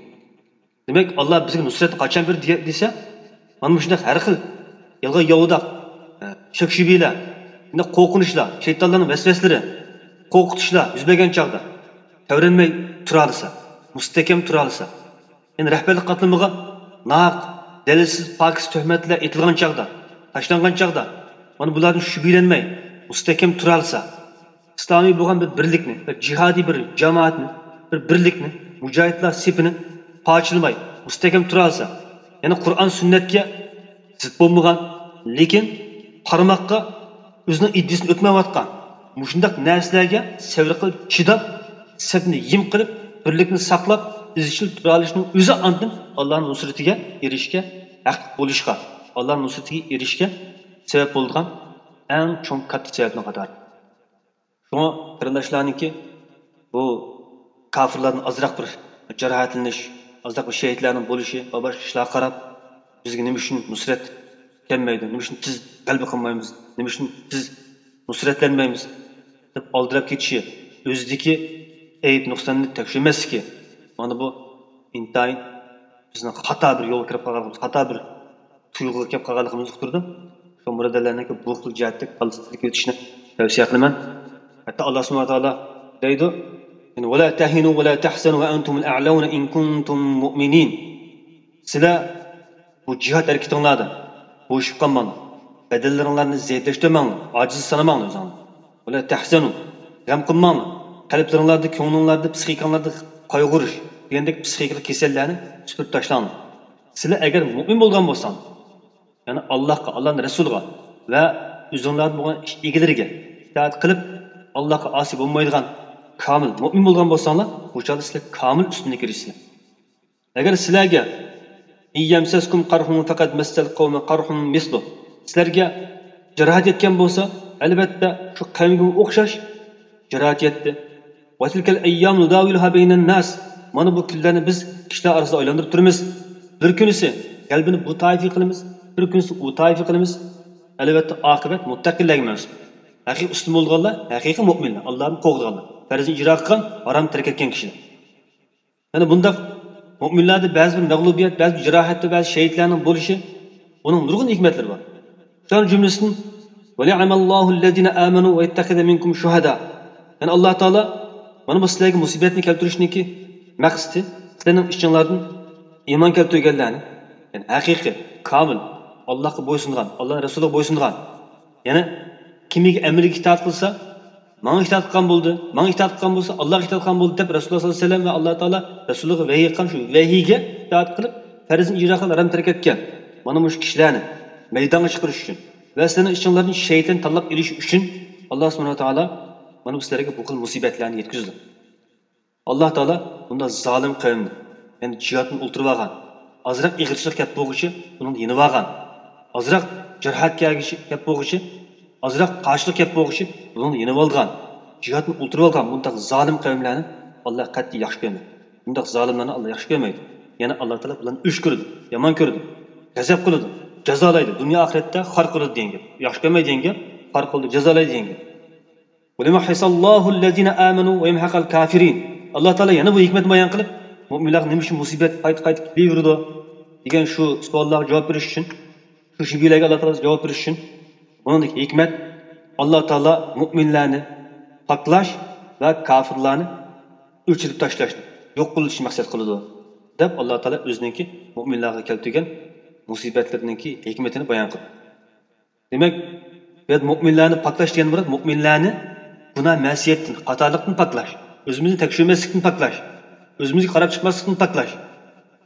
دېمەك، ئاللا بىزگە نۇسرەتنى قاچان بېرىدۇ دېگە-، دېسە، مانا مۇشۇنداق ھەر خىل يالغان ياۋىداق، ئە، شەك-شۈبھىلەر، مۇنداق قورقۇنچلار، شەيتانلارنىڭ ۋەسۋەسىلىرى، قورقۇتۇشلار يۈز بەرگەن چاغدا تەۋرەنمەي تۇرالىسا، مۇستەھكەم تۇرالىسا، يەنى رەھبەرلىك قاتلىمىغا ناھەق، دەلىلسىز، پاكىز تۆھمەتلەر ئېتىلغان چاغدا، تاشلانغان چاغدا، مانا بۇلاردىن شۈبھىلەنمەي، مۇستەھكەم تۇرالىسا، ئىسلامىي بولغان بىر بىرلىكنى، بىر جىھادىي بىر جامائەتنى، بىر بىرلىكنى، مۇجاھىدلار سېپىنى پارچىلىماي، مۇستەھكەم تۇرالىسا، يەنى قۇرئان سۈننەتكە زىت بولمىغان، لېكىن قارىماققا ئۆزىنىڭ ئىدىيىسىنى ئۆتمەيۋاتقان مۇشۇنداق نەرسىلەرگە سەۋر قىلىپ چىداپ، سەپنى يىم قىلىپ، بىرلىكنى ساقلاپ، ئىزچىل تۇرالىشىنىڭ ئۆزى ئاندىن ئاللانىڭ نۇسرىتىگە ئېرىشىشكە، ھەقلىق بولۇشقا، ئاللانىڭ نۇسرىتىگە ئېرىشىشكە سەۋەب بولىدىغان ئەڭ چوڭ كاتتا سەۋەبنىڭ قاتارى. شۇڭا قېرىنداشلارنىڭكى بۇ كاپىرلاردىن ئازراق بىر جاراھەتلىنىش، ئازراق بىر شېھىتلەرنىڭ بولۇشى ۋە باشقا ئىشلارغا قاراپ، بىزگە نېمە ئۈچۈن نۇسرەت كەلمەيدۇ، نېمە ئۈچۈن بىز غەلىبە قىلمايمىز، نېمە ئۈچۈن بىز نۇسرەتلەنمەيمىز دەپ ئالدىراپ كېتىشى، ئۆزىدىكى ئەيىب نۇقساننى تەكشۈرمەسلىكى، مانا بۇ ئىنتايىن بىزنىڭ خاتا بىر يولغا كىرىپ قالغانلىقىمىز، خاتا بىر تۇيغۇغا كەپ قالغانلىقىمىزنى ئۇقتۇرىدۇ. شۇ بۇرادەرلەرنىڭكى بۇ خىل جەھەتتە كاللىسىنى سىلكىۋېتىشنى تەۋسىيە قىلىمەن. ھەتتا ئاللا سۇبھانەھۇ ۋە تائالا دەيدۇ، يەنى، «ولا تهنوا ولا تحزنوا وأنتم الأعلون إن كنتم مؤمنين.» سىلەر بۇ جىھاد ھەرىكىتىڭلاردا بوشىشىپ قالماڭلار. بەدەنلىرىڭلارنى زەئىپلەشتۈرمەڭلار، ئاجىز سانىماڭلار ئۆزۈڭلارنى. «ولا تحزنوا»، غەم قىلماڭلار. قەلبلىرىڭلاردا، كۆڭلۈڭلاردا، پسىخىكاڭلاردا قايغۇرۇش دېگەندەك پسىخىكىلىق كېسەللەرنى سۈپۈرۈپ تاشلاڭلار. سىلەر ئەگەر مۇئمىن بولغان بولساڭلار، يەنى ئاللاھقا، ئاللانىڭ رەسۇلىغا ۋە ئۆزۈڭلاردىن بولغان ئىش ئىگىلىرىگە ئىتائەت قىلىپ، ئاللاھقا ئاسىي بولمايدىغان كامىل مۇئمىن بولغان بولساڭلار، بۇ چاغدا سىلەر كامىل ئۈستۈنلۈككە ئېرىشىسىلەر. ئەگەر سىلەرگە «إن يمسسكم قرح فقد مس القوم قرح مثله»، سىلەرگە جاراھەت يەتكەن بولسا، ئەلۋەتتە، شۇ قەۋمگىمۇ ئوخشاش جاراھەت يەتتى. وتلك الأيام نداولها بين الناس. مانا بۇ كۈنلەرنى بىز كىشىلەر ئارىسىدا ئايلاندۇرۇپ تۇرىمىز. بىر كۈنىسى غەلىبىنى بۇ تائىپىگە قىلىمىز، بىر كۈنىسى ئۇ تائىپىگە قىلىمىز. ئەلۋەتتە، ئاقىۋەت مۇتتەقىنلەرگە مەنسۇپ. ھەقىقىي ئۈستۈن بولىدىغانلار، ھەقىقىي مۆمىنلەر، ئاللانى قوغدىغانلار، پەرزنى ئىجرا قىلغان، ھارامنى تەرك ئەتكەن كىشىلەر. يەنە بۇنداق مۆمىنلەردە بەزى بىر مەغلۇبىيەت، بەزى بىر جاراھەت ۋە بەزى شېھىتلەرنىڭ بولۇشى، ئۇنىڭ نۇرغۇن ھېكمەتلىرى بار. شۇلارنىڭ جۈملىسىدىن، وليعلم الله الذين آمنوا ويتخذ منكم شهداء. يەنى ئاللا تائالا مانا بۇ سىلەرگە مۇسىبەتنى كەلتۈرۈشنىڭكى مەقسىتى، سىلەرنىڭ ئىچىڭلاردىن ئىمان كەلتۈرگەنلەرنى، يەنى ھەقىقىي، كامىل، ئاللاغا بويسۇنغان، ئاللا رەسۇلىغا بويسۇنغان، يەنى كىمگە ئەمرىگە ئىتائەت قىلسا، ماڭا ئىتائەت قىلغان بولدى، ماڭا ئىتائەت قىلغان بولسا، ئاللاغا ئىتائەت قىلغان بولدى دەپ، رەسۇلۇللا ساللاللاھۇ ئەلەيھى ۋەسەللەم ۋە ئاللا تائالا رەسۇلىغا ۋەھىي قىلغان شۇ ۋەھىيگە ئىتائەت قىلىپ، پەرزنى ئىجرا قىلىپ، ھارام تەرك ئەتكەن مانا مۇشۇ كىشىلەرنى مەيدانغا چىقىرىش ئۈچۈن ۋە سىلەرنىڭ ئىچىڭلاردىن شېھىتلەرنى تاللاپ ئېلىش ئۈچۈن، ئاللا سۇبھانەھۇ ۋە تائالا مانا بۇ سىلەرگە بۇ خىل مۇسىبەتلەرنى يەتكۈزىدۇ. ئاللا تائالا بۇنداق زالىم قەۋمنى، يەنى جىھادتىن ئولتۇرۇۋالغان، ئازراق ئېغىرچىلىق كەپ بولغۇچە ئۇنىڭدىن يېنىۋالغان، ئازراق جاراھەت كەلگۈچى، كەپ بولغۇچى، ئازراق قارشىلىق كەپ بولغۇچى بۇنىڭدىن يېنىۋالغان، جىھادتىن ئولتۇرۇۋالغان بۇنداق زالىم قەۋملەرنى ئاللا قەتئىي ياخشى كۆرمەيدۇ. بۇنداق زالىملارنى ئاللا ياخشى كۆرمەيدۇ. يەنى ئاللا تائالا بۇلارنى ئۆچ كۆرىدۇ، يامان كۆرىدۇ، غەزەپ قىلىدۇ، جازالايدۇ، دۇنيا ئاخىرەتتە خار قىلىدۇ دېگەن گەپ. ياخشى كۆرمەيدۇ دېگەن گەپ، خار قىلىدۇ، جازالايدۇ دېگەن گەپ. وليمحص الله الذين آمنوا ويمحق الكافرين. ئاللا تائالا يەنە بۇ ھېكمەتنى بايان قىلىپ، مۆمىنلەرگە نېمە ئۈچۈن مۇسىبەت قايتا-قايتا كېلىۋېرىدۇ دېگەن شۇ سوئاللارغا جاۋاب بېرىش ئۈچۈن، شۇ شۈبھىلەرگە ئاللا تائالا جاۋاب بېرىش ئۈچۈن، بۇنىڭدىكى ھېكمەت، ئاللا تائالا مۆمىنلەرنى پاكلاش ۋە كاپىرلارنى ئۆچۈرۈپ تاشلاشنى، يوق قىلىشنى مەقسەت قىلىدۇ دەپ، ئاللا تائالا ئۆزىنىڭكى مۆمىنلەرگە كەلتۈرگەن مۇسىبەتلىرىنىڭكى ھېكمىتىنى بايان قىلدى. دېمەك، بۇ يەردە مۆمىنلەرنى پاكلاش دېگەن مۇراد مۆمىنلەرنى گۇناھ مەسىيەتتىن، خاتالىقتىن پاكلاش، ئۆزىمىزنى تەكشۈرمەسلىكتىن پاكلاش، ئۆزىمىزگە قاراپ چىقماسلىقتىن پاكلاش.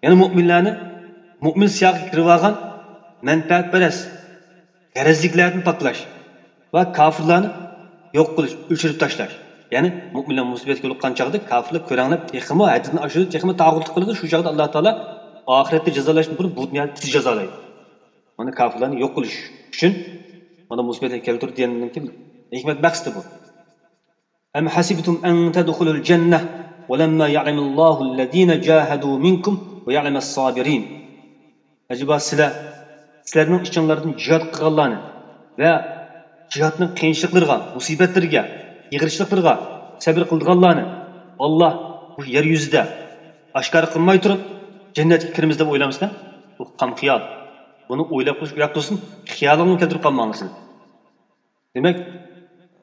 يەنە مۆمىنلەرنى مۆمىن سىياقىغا كىرىۋالغان مەنپەئەتپەرەس، غەرەزلىكلەردىن پاكلاش ۋە كاپىرلارنى يوق قىلىش، ئۆچۈرۈپ تاشلاش. يەنى مۆمىنلەر مۇسىبەتكە يولۇققان چاغدا كاپىرلار كۆرەڭلەپ تېخىمۇ ھەددىدىن ئاشىدۇ، تېخىمۇ تاغۇتلۇق قىلىدۇ. شۇ چاغدا ئاللا تائالا ئاخىرەتتە جازالاشتىن بۇرۇن بۇ دۇنيادا تېز جازالايدۇ. مانا كاپىرلارنى يوق قىلىش ئۈچۈن مانا مۇسىبەتنى كەلتۈردى دېگەندىن كېيىن ھېكمەت مەقسىتى بۇ. أم حسبتم أن تدخلوا الجنة ولما يعلم الله الذين جاهدوا منكم ويعلم الصابرين. ئەجەبا سىلەر، سىلەرنىڭ ئىچىڭلاردىن جىھاد قىلغانلارنى ۋە جىھادنىڭ قىيىنچىلىقلىرىغا، مۇسىبەتلىرىگە، ئېغىرچىلىقلىرىغا سەبرى قىلىدىغانلارنى ئاللا بۇ يەر يۈزىدە ئاشكارا قىلماي تۇرۇپ جەننەتكە كىرىمىز دەپ ئويلامسىلەر؟ بۇ خام خىيال. بۇنى ئويلاپ قويۇش ئۇياق تۇرسۇن، خىيالىڭلارنى كەلتۈرۈپ قالماڭلار سىلەر. دېمەك،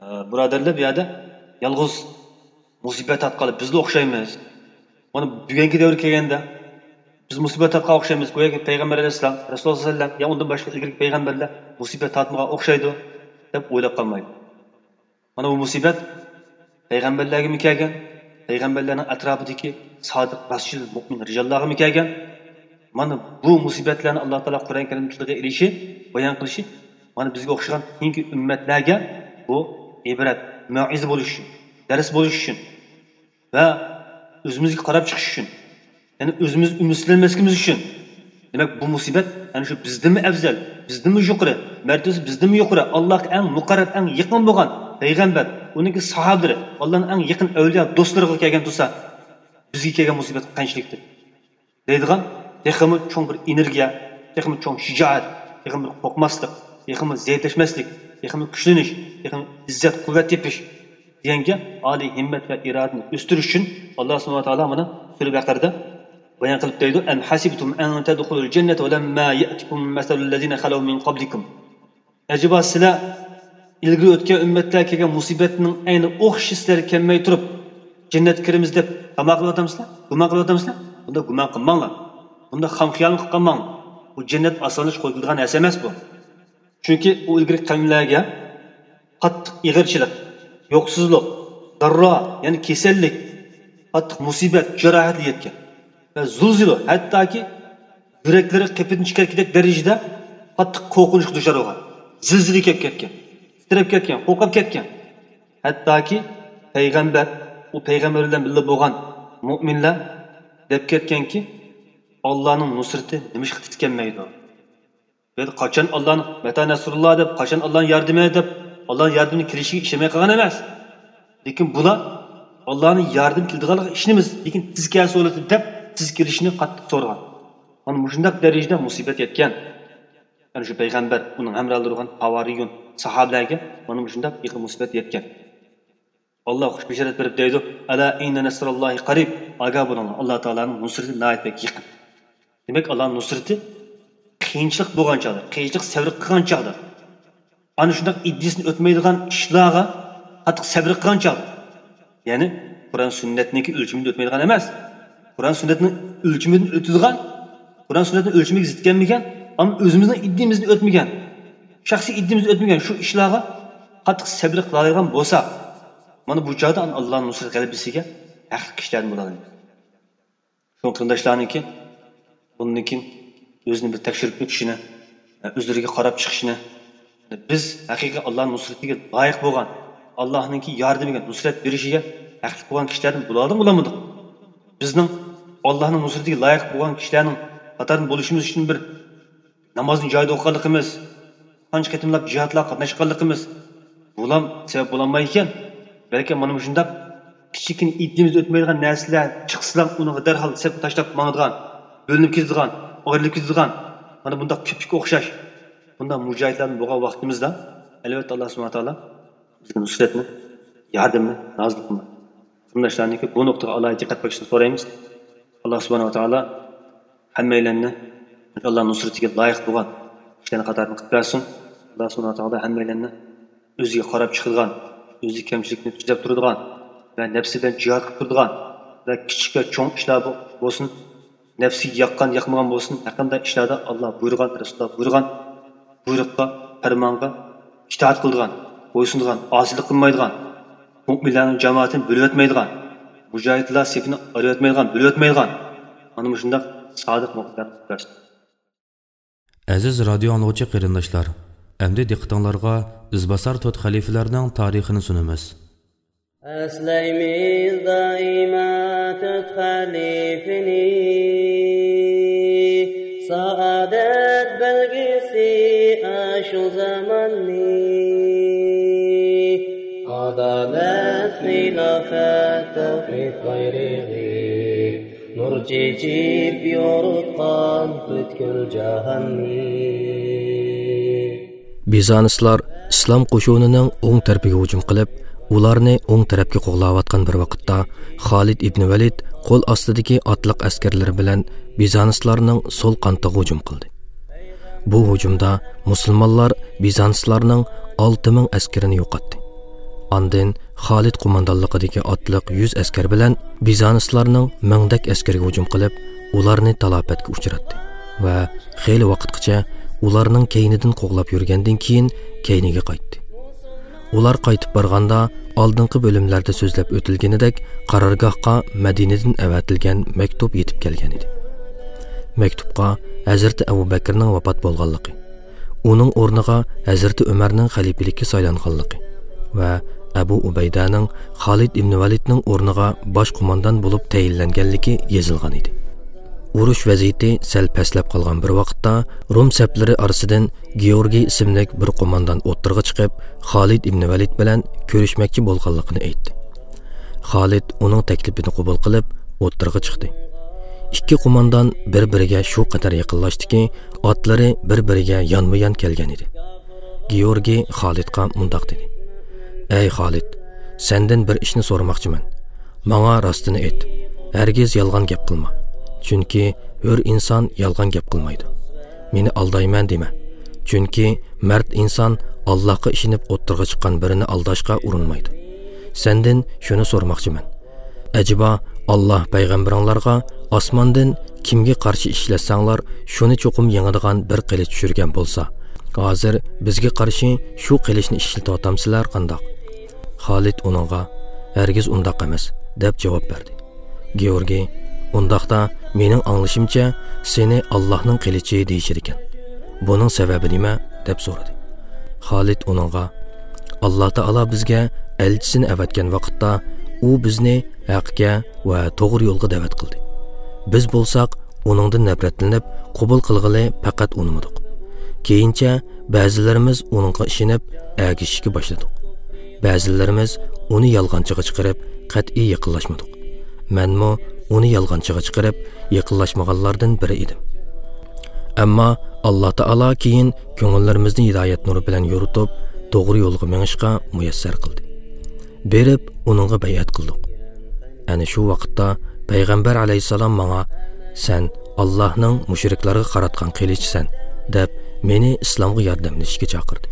ئە، بۇرادەرلەر، بۇ يەردە يالغۇز مۇسىبەت تارتقانلار بىزلا ئوخشايمىز. مانا بۈگۈنكى دەۋرگە كەلگەندە، بىز مۇسىبەت تارتقانغا ئوخشايمىز. گوياكى پەيغەمبەر ئەلەيھىسسالام، رەسۇلۇللا سەللەم، يا ئۇندىن باشقا ئىلگىرىكى پەيغەمبەرلەر مۇسىبەت تارتمىغان ئوخشايدۇ، دەپ ئويلاپ قالمايدۇ. مانا بۇ مۇسىبەت پەيغەمبەرلەرگىمۇ كەلگەن، پەيغەمبەرلەرنىڭ ئەتراپىدىكى سادىق، راستچىل، مۆمىن رىجاللارغىمۇ كەلگەن. مانا بۇ مۇسىبەتلەرنى ئاللا تائالا قۇرئان كەرىمدە تىلغا ئېلىشى، بايان قىلىشى، مانا بىزگە ئوخشىغان كېيىنكى ئۈممەتلەرگە بۇ ئىبرەت، مەۋئىزە بولۇش ئۈچۈن، دەرس بولۇش ئۈچۈن ۋە ئۆزىمىزگە قاراپ چىقىش ئۈچۈن، يەنى ئۆزىمىز ئۈمىدسىزلەنمەسلىكىمىز ئۈچۈن. دېمەك، بۇ مۇسىبەت ئەنە شۇ بىزدىنمۇ ئەۋزەل، بىزدىنمۇ يۇقىرى، مەرتىۋىسى بىزدىنمۇ يۇقىرى، ئاللاھقا ئەڭ مۇقەررەب، ئەڭ يېقىن بولغان پەيغەمبەر، ئۇنىڭكى ساھابىلىرى، ئاللانىڭ ئەڭ يېقىن ئەۋلىيا دوستلىرىغا كەلگەن تۇرسا، بىزگە كەلگەن مۇسىبەت قانچىلىكتۇر؟ دەيدىغان تېخىمۇ چوڭ بىر ئېنېرگىيە، تېخىمۇ چوڭ شىجائەت، تېخىمۇ بىر قورقماسلىق، تېخىمۇ زەئىپلەشمەسلىك، تېخىمۇ كۈچلىنىش، تېخىمۇ ئىززەت، قۇۋۋەت تېپىش دېگەنگە ئالىي ھىممەت ۋە ئىرادىنى ئۆستۈرۈش ئۈچۈن، ئاللا سۇبھانەھۇ ۋە تائالا مانا سۈرە بەقەردە بايان قىلىپ دەيدۇ، أم حسبتم أن تدخلوا الجنة ولما يأتكم مثل الذين خلوا من قبلكم. ئەجەبا سىلەر ئىلگىرى ئۆتكەن ئۈممەتلەرگە كەلگەن مۇسىبەتنىڭ ئەينى ئوخشىشى سىلەرگە كەلمەي تۇرۇپ، جەننەتكە كىرىمىز دەپ تاما قىلىۋاتامسىلەر؟ گۇمان قىلىۋاتامسىلەر؟ بۇنداق گۇمان قىلماڭلار. بۇنداق خام خىيالمۇ قىلىپ قالماڭلار. بۇ جەننەت ئاسانلىشىپ قويۇلىدىغان نەرسە ئەمەس بۇ. چۈنكى ئۇ ئىلگىرىكى قەۋملەرگە قاتتىق ئېغىرچىلىق، يوقسۇزلۇق، داررا، يەنى كېسەللىك، قاتتىق مۇسىبەت، جاراھەتلەر يەتكەن ۋە زۇلزۇلە، ھەتتاكى يۈرەكلىرى قېپىدىن چىقىرىپ كېتەر دەرىجىدە قاتتىق قورقۇنچقا دۇچار بولغان، زىلزىلە كېلىپ كەتكەن، تىترەپ كەتكەن، قورقۇپ كەتكەن. ھەتتاكى پەيغەمبەر، ئۇ پەيغەمبەر بىلەن بىللە بولغان مۆمىنلەر دەپ كەتكەنكى، ئاللانىڭ نۇسرىتى نېمىشقا تېز كەلمەيدۇ؟ بۇ يەردە قاچان ئاللانىڭ، مەتە نەسرۇللا دەپ، قاچان ئاللانىڭ ياردىمى دەپ، ئاللانىڭ ياردىمىنىڭ كېلىشىگە ئىشەنمەي قالغان ئەمەس. لېكىن بۇلار ئاللانىڭ ياردىمى كېلىدىغانلىقىغا ئىشىنىمىز، لېكىن تېز كەلسە بولاتتى دەپ تېز كېلىشىنى قاتتىق سورىغان. مانا مۇشۇنداق دەرىجىدە مۇسىبەت يەتكەن. يەنى شۇ پەيغەمبەر، ئۇنىڭ ھەمراھلىرى بولغان ھاۋارىيۇن، ساھابىلەرگە مانا مۇشۇنداق ئېغىر مۇسىبەت يەتكەن. ئاللا خۇش بېشارەت بېرىپ دەيدۇ، «ئەلا ئىننە نەسراللاھى قەرىب.» ئاگاھ بولۇڭلار، ئاللا تائالانىڭ نۇسرىتى ناھايىتى بەك يېقىن. دېمەك، ئاللانىڭ نۇسرىتى قىيىنچىلىق بولغان چاغدا، قىيىنچىلىق سەۋر قىلغان چاغدا، ئانا شۇنداق ئىددىسىنى ئۆتمەيدىغان ئىشلارغا قاتتىق سەۋر قىلغان چاغدا، يەنى قۇرئان سۈننەتنىڭكى ئۆلچىمىدىن ئۆتمەيدىغان ئەمەس، قۇرئان سۈننەتنىڭ ئۆلچىمىدىن ئۆتىدىغان، قۇرئان سۈننەتنىڭ ئۆلچىمىگە زىت كەلمىگەن، ئەمما ئۆزىمىزنىڭ ئىددىمىزدىن ئۆتمىگەن، شەخسىي ئىددىمىزدىن ئۆتمىگەن شۇ ئىشلارغا قاتتىق سەۋر قىلالايدىغان بولساق، مانا بۇ چاغدا ئاللانىڭ نۇسرەت غەلىبىسىگە ھەقىقىي كىشىلەردىن بولالايمىز. شۇڭا قېرىنداشلارنىڭكى بۇندىن كېيىن ئۆزىنى بىر تەكشۈرۈپ ئۆتۈشىنى، ئۆزلىرىگە قاراپ چىقىشىنى، بىز ھەقىقىي ئاللانىڭ نۇسرىتىگە لايىق بولغان، ئاللانىڭكى ياردىمىگە، نۇسرەت بېرىشىگە ھەقلىق بولغان كىشىلەردىن بولالىدىمۇ بولالمىدۇق؟ بىزنىڭ ئاللانىڭ نۇسرىتىگە لايىق بولغان كىشىلەرنىڭ قاتارىدىن بولۇشىمىز ئۈچۈن بىر نامازنى جايىدا ئوقۇغانلىقىمىز، قانچە قېتىملاپ جىھادلارغا قاتناشقانلىقىمىز، بۇلام سەۋەب بولالمايدىكەن. بەلكى مانا مۇشۇنداق كىچىككىنە ئىدىيىمىزدە ئۆتمەيدىغان نەرسىلەر چىقسىلا، ئۇنىڭغا دەرھال سەپكە تاشلاپ ماڭىدىغان، بۆلۈنۈپ كېتىدىغان، ئايرىلىپ كېتىدىغان، مانا بۇنداق كۆپۈككە ئوخشاش بۇنداق مۇجاھىدلاردىن بولغان ۋاقتىمىزدا، ئەلۋەتتە، ئاللا سۇبھانەھۇ ۋە تائالا بىزگە نۇسرەتنى، ياردىمىنى نازىل قىلمايدۇ. قېرىنداشلارنىڭكى بۇ نۇقتىغا ئالاھىدە دىققەت قىلىشىنى سورايمىز. ئاللا سۇبھانەھۇ ۋە تائالا ھەممەيلەننى ئاللا نۇسرىتىگە لايىق بولغان كىشىلەرنىڭ قاتارىدىن قىلىپ بەرسۇن. ئاللا سۇبھانەھۇ ۋە تائالا ھەممەيلەننى ئۆزىگە قاراپ چىقىدىغان، ئۆزىدىكى كەمچىلىكنى تۈزەپ تۇرىدىغان ۋە نەپسى بىلەن جىھاد قىلىپ تۇرىدىغان ۋە كىچىك ۋە چوڭ ئىشلار بو-، بولسۇن، نەپسىگە ياققان، ياقمىغان بولسۇن، ھەرقانداق ئىشلاردا ئاللا بۇيرۇغان، رەسۇلۇللا بۇيرۇغان بۇيرۇققا، پەرمانغا ئىتائەت قىلىدىغان، بويسۇنىدىغان، ئاسىيلىق قىلمايدىغان، مۆمىنلەرنىڭ جامائىتىنى بۆلۈۋەتمەيدىغان، مۇجاھىدلار سېپىنى ئايرىۋەتمەيدىغان، بۆلۈۋەتمەيدىغان، مانا مۇشۇنداق سادىق مۆمىنلەرنى قىلىپ بەرسۇن. ئەزىز رادىيو ئاڭلىغۇچى قېرىنداشلار، ئەمدى دىققىتىڭلارغا ئىزباسار تۆت خەلىپىلەرنىڭ تارىخىنى سۇنىمىز. ئەسلەيمىز دائىما تۆت خەلىپىنى، سائادەت بەلگىسى ئاشۇ زاماننى. ئادالەت، خىلاپەت، تەۋھىد بايرىقى، نۇر چېچىپ يورۇتقان پۈتكۈل جاھاننى. بىزانسلار ئىسلام قوشۇنىنىڭ ئوڭ تەرىپىگە ھۇجۇم قىلىپ، ئۇلارنى ئوڭ تەرەپكە قوغلاۋاتقان بىر ۋاقىتتا، خالىد ئىبنى ۋەلىد قول ئاستىدىكى ئاتلىق ئەسكەرلىرى بىلەن بىزانسلارنىڭ سول قانىتىغا ھۇجۇم قىلدى. بۇ ھۇجۇمدا مۇسۇلمانلار بىزانسلارنىڭ ئالتە مىڭ ئەسكىرىنى يوقاتتى. ئاندىن خالىد قوماندانلىقىدىكى ئاتلىق يۈز ئەسكەر بىلەن بىزانسلارنىڭ مىڭدەك ئەسكىرىگە ھۇجۇم قىلىپ، ئۇلارنى تالاپەتكە ئۇچراتتى ۋە خېلى ۋاقىتقىچە ئۇلارنىڭ كەينىدىن قوغلاپ يۈرگەندىن كېيىن كەينىگە قايتتى. ئۇلار قايتىپ بارغاندا، ئالدىنقى بۆلۈملەردە سۆزلەپ ئۆتۈلگىنىدەك، قارارگاھقا مەدىنىدىن ئەۋەتىلگەن مەكتۇپ يېتىپ كەلگەن ئىدى. مەكتۇپقا ھەزرىتى ئەبۇ بەكرىنىڭ ۋاپات بولغانلىقى، ئۇنىڭ ئورنىغا ھەزرىتى ئۆمەرنىڭ خەلىپىلىككە سايلانغانلىقى ۋە ئەبۇ ئۇبەيدەنىڭ خالىد ئىبنى ۋەلىدنىڭ ئورنىغا باش قوماندان بولۇپ تەيىنلەنگەنلىكى يېزىلغان ئىدى. ئۇرۇش ۋەزىيىتى سەل پەسلەپ قالغان بىر ۋاقىتتا، روم سەپلىرى ئارىسىدىن گېئورگىي ئىسىملىك بىر قوماندان ئوتتۇرىغا چىقىپ، خالىد ئىبنى ۋەلىد بىلەن كۆرۈشمەكچى بولغانلىقىنى ئېيتتى. خالىد ئۇنىڭ تەكلىپىنى قوبۇل قىلىپ، ئوتتۇرىغا چىقتى. ئىككى قوماندان بىر-بىرىگە شۇ قەدەر يېقىنلاشتىكى، ئاتلىرى بىر-بىرىگە يانمۇ-يان كەلگەن ئىدى. گېئورگىي خالىدقا مۇنداق دېدى: «ئەي خالىد، سەندىن بىر ئىشنى سورىماقچىمەن. ماڭا راستىنى ئېيت. ھەرگىز يالغان گەپ قىلما. چۈنكى ھۆر ئىنسان يالغان گەپ قىلمايدۇ. مېنى ئالدايمەن دېمە. چۈنكى مەرد ئىنسان ئاللاھقا ئىشىنىپ ئوتتۇرىغا چىققان بىرىنى ئالداشقا ئۇرۇنمايدۇ. سەندىن شۇنى سورىماقچىمەن. ئەجەبا، ئاللاھ پەيغەمبىرىڭلارغا ئاسماندىن كىمگە قارشى ئىشلەتسەڭلار، شۇنى چوقۇم يېڭىدىغان بىر قىلىچ چۈشۈرگەن بولسا، ھازىر بىزگە قارشى شۇ قىلىچنى ئىشلىتىۋاتامسىلەر قانداق؟» خالىد ئۇنىڭغا: «ھەرگىز ئۇنداق ئەمەس» دەپ جاۋاب بەردى. گېئورگىي: «ئۇنداقتا، مېنىڭ ئاڭلىشىمچە، سېنى ئاللاھنىڭ قىلىچى دېيىشىدىكەن. بۇنىڭ سەۋەبى نېمە؟» دەپ سورىدى. خالىد ئۇنىڭغا: «ئاللاھ تائالا بىزگە ئەلچىسىنى ئەۋەتكەن ۋاقىتتا، ئۇ بىزنى ھەققە ۋە توغرا يولغا دەۋەت قىلدى. بىز بولساق، ئۇنىڭدىن نەپرەتلىنىپ، قوبۇل قىلغىلى پەقەت ئۇنىمىدۇق. كېيىنچە بەزىلىرىمىز ئۇنىڭغا ئىشىنىپ، ئەگىشىشكە باشلىدۇق. بەزىلىرىمىز ئۇنى يالغانچىغا چىقىرىپ، قەتئىي يېقىنلاشمىدۇق. مەنمۇ ئۇنى يالغانچىغا چىقىرىپ، يېقىنلاشمىغانلاردىن بىرى ئىدىم. ئەمما ئاللا تائالا كېيىن كۆڭۈللىرىمىزنى ھىدايەت نۇرى بىلەن يورۇتۇپ، توغرا يولغا مېڭىشقا مۇيەسسەر قىلدى. بېرىپ ئۇنىڭغا بەيئەت قىلدۇق. ئەنە شۇ ۋاقىتتا پەيغەمبەر ئەلەيھىسسالام ماڭا، «سەن ئاللاھنىڭ مۇشرىكلارغا قاراتقان قىلىچىسەن» دەپ، مېنى ئىسلامغا ياردەملىشىشكە چاقىردى.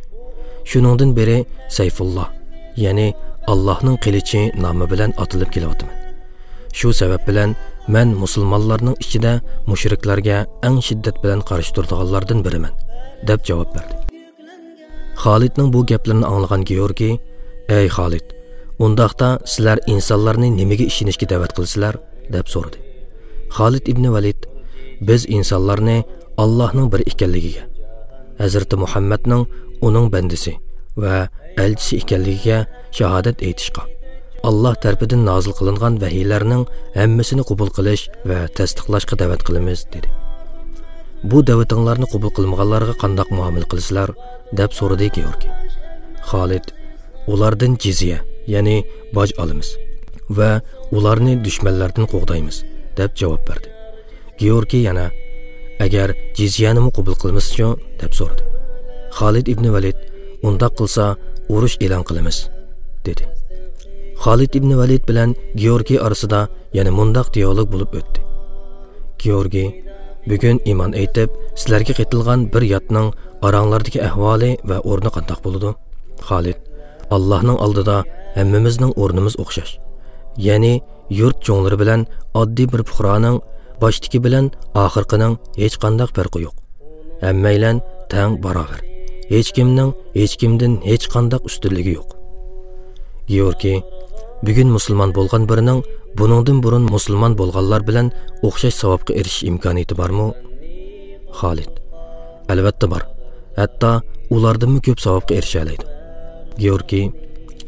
شۇنىڭدىن بېرى سەيفۇللا، يەنى «ئاللاھنىڭ قىلىچى» نامى بىلەن ئاتىلىپ كېلىۋاتىمەن. شۇ سەۋەب بىلەن مەن مۇسۇلمانلارنىڭ ئىچىدە مۇشرىكلارغا ئەڭ شىددەت بىلەن قارشى تۇرىدىغانلاردىن بىرىمەن، دەپ جاۋاب بەردى. خالىدنىڭ بۇ گەپلىرىنى ئاڭلىغان گېئورگىي، «ئەي خالىد، ئۇنداقتا سىلەر ئىنسانلارنى نېمىگە ئىشىنىشكە دەۋەت قىلىسىلەر؟» دەپ سورىدى. خالىد ئىبنى ۋەلىد، «بىز ئىنسانلارنى ئاللاھنىڭ بىر ئىكەنلىكىگە، ھەزرىتى مۇھەممەدنىڭ ئۇنىڭ بەندىسى ۋە ئەلچىسى ئىكەنلىكىگە شاھادەت ئېيتىشقا، ئاللاھ تەرىپىدىن نازىل قىلىنغان ۋەھىيلەرنىڭ ھەممىسىنى قوبۇل قىلىش ۋە تەستىقلاشقا دەۋەت قىلىمىز» دېدى. «بۇ دەۋىتىڭلارنى قوبۇل قىلمىغانلارغا قانداق مۇئامىلە قىلىسىلەر؟» دەپ سورىدى گېئورگىي. خالىد، «ئۇلاردىن جىزيە، يەنى باج ئالىمىز ۋە ئۇلارنى دۈشمەنلەردىن قوغدايمىز» دەپ جاۋاب بەردى. گېئورگىي يەنە، «ئەگەر جىزيەنىمۇ قوبۇل قىلمىسىچۇ؟» دەپ سورىدى. خالىد ئىبنى ۋەلىد، «ئۇنداق قىلسا، ئۇرۇش ئېلان قىلىمىز» دېدى. خالىد ئىبنى ۋەلىد بىلەن گېئورگىي ئارىسىدا يەنە مۇنداق دىئالوگ بولۇپ ئۆتتى. گېئورگىي، «بۈگۈن ئىمان ئېيتىپ، سىلەرگە قېتىلغان بىر ياتنىڭ ئاراڭلاردىكى ئەھۋالى ۋە ئورنى قانداق بولىدۇ؟» خالىد، «ئاللاھنىڭ ئالدىدا ھەممىمىزنىڭ ئورنىمىز ئوخشاش. يەنى يۇرت چوڭلىرى بىلەن ئاددىي بىر پۇقرانىڭ باشتىكى بىلەن ئاخىرقىنىڭ ھېچقانداق پەرقى يوق. ھەممەيلەن تەڭ باراۋەر. ھېچكىمنىڭ ھېچكىمدىن ھېچقانداق ئۈستۈنلۈكى يوق.» گېئورگىي، «بۈگۈن مۇسۇلمان بولغان بىرىنىڭ بۇنىڭدىن بۇرۇن مۇسۇلمان بولغانلار بىلەن ئوخشاش ساۋابقا ئېرىشىش ئىمكانىيىتى بارمۇ؟» خالىد، «ئەلۋەتتە بار. ھەتتا ئۇلاردىنمۇ كۆپ ساۋابقا ئېرىشەلەيدۇ.» گېئورگىي،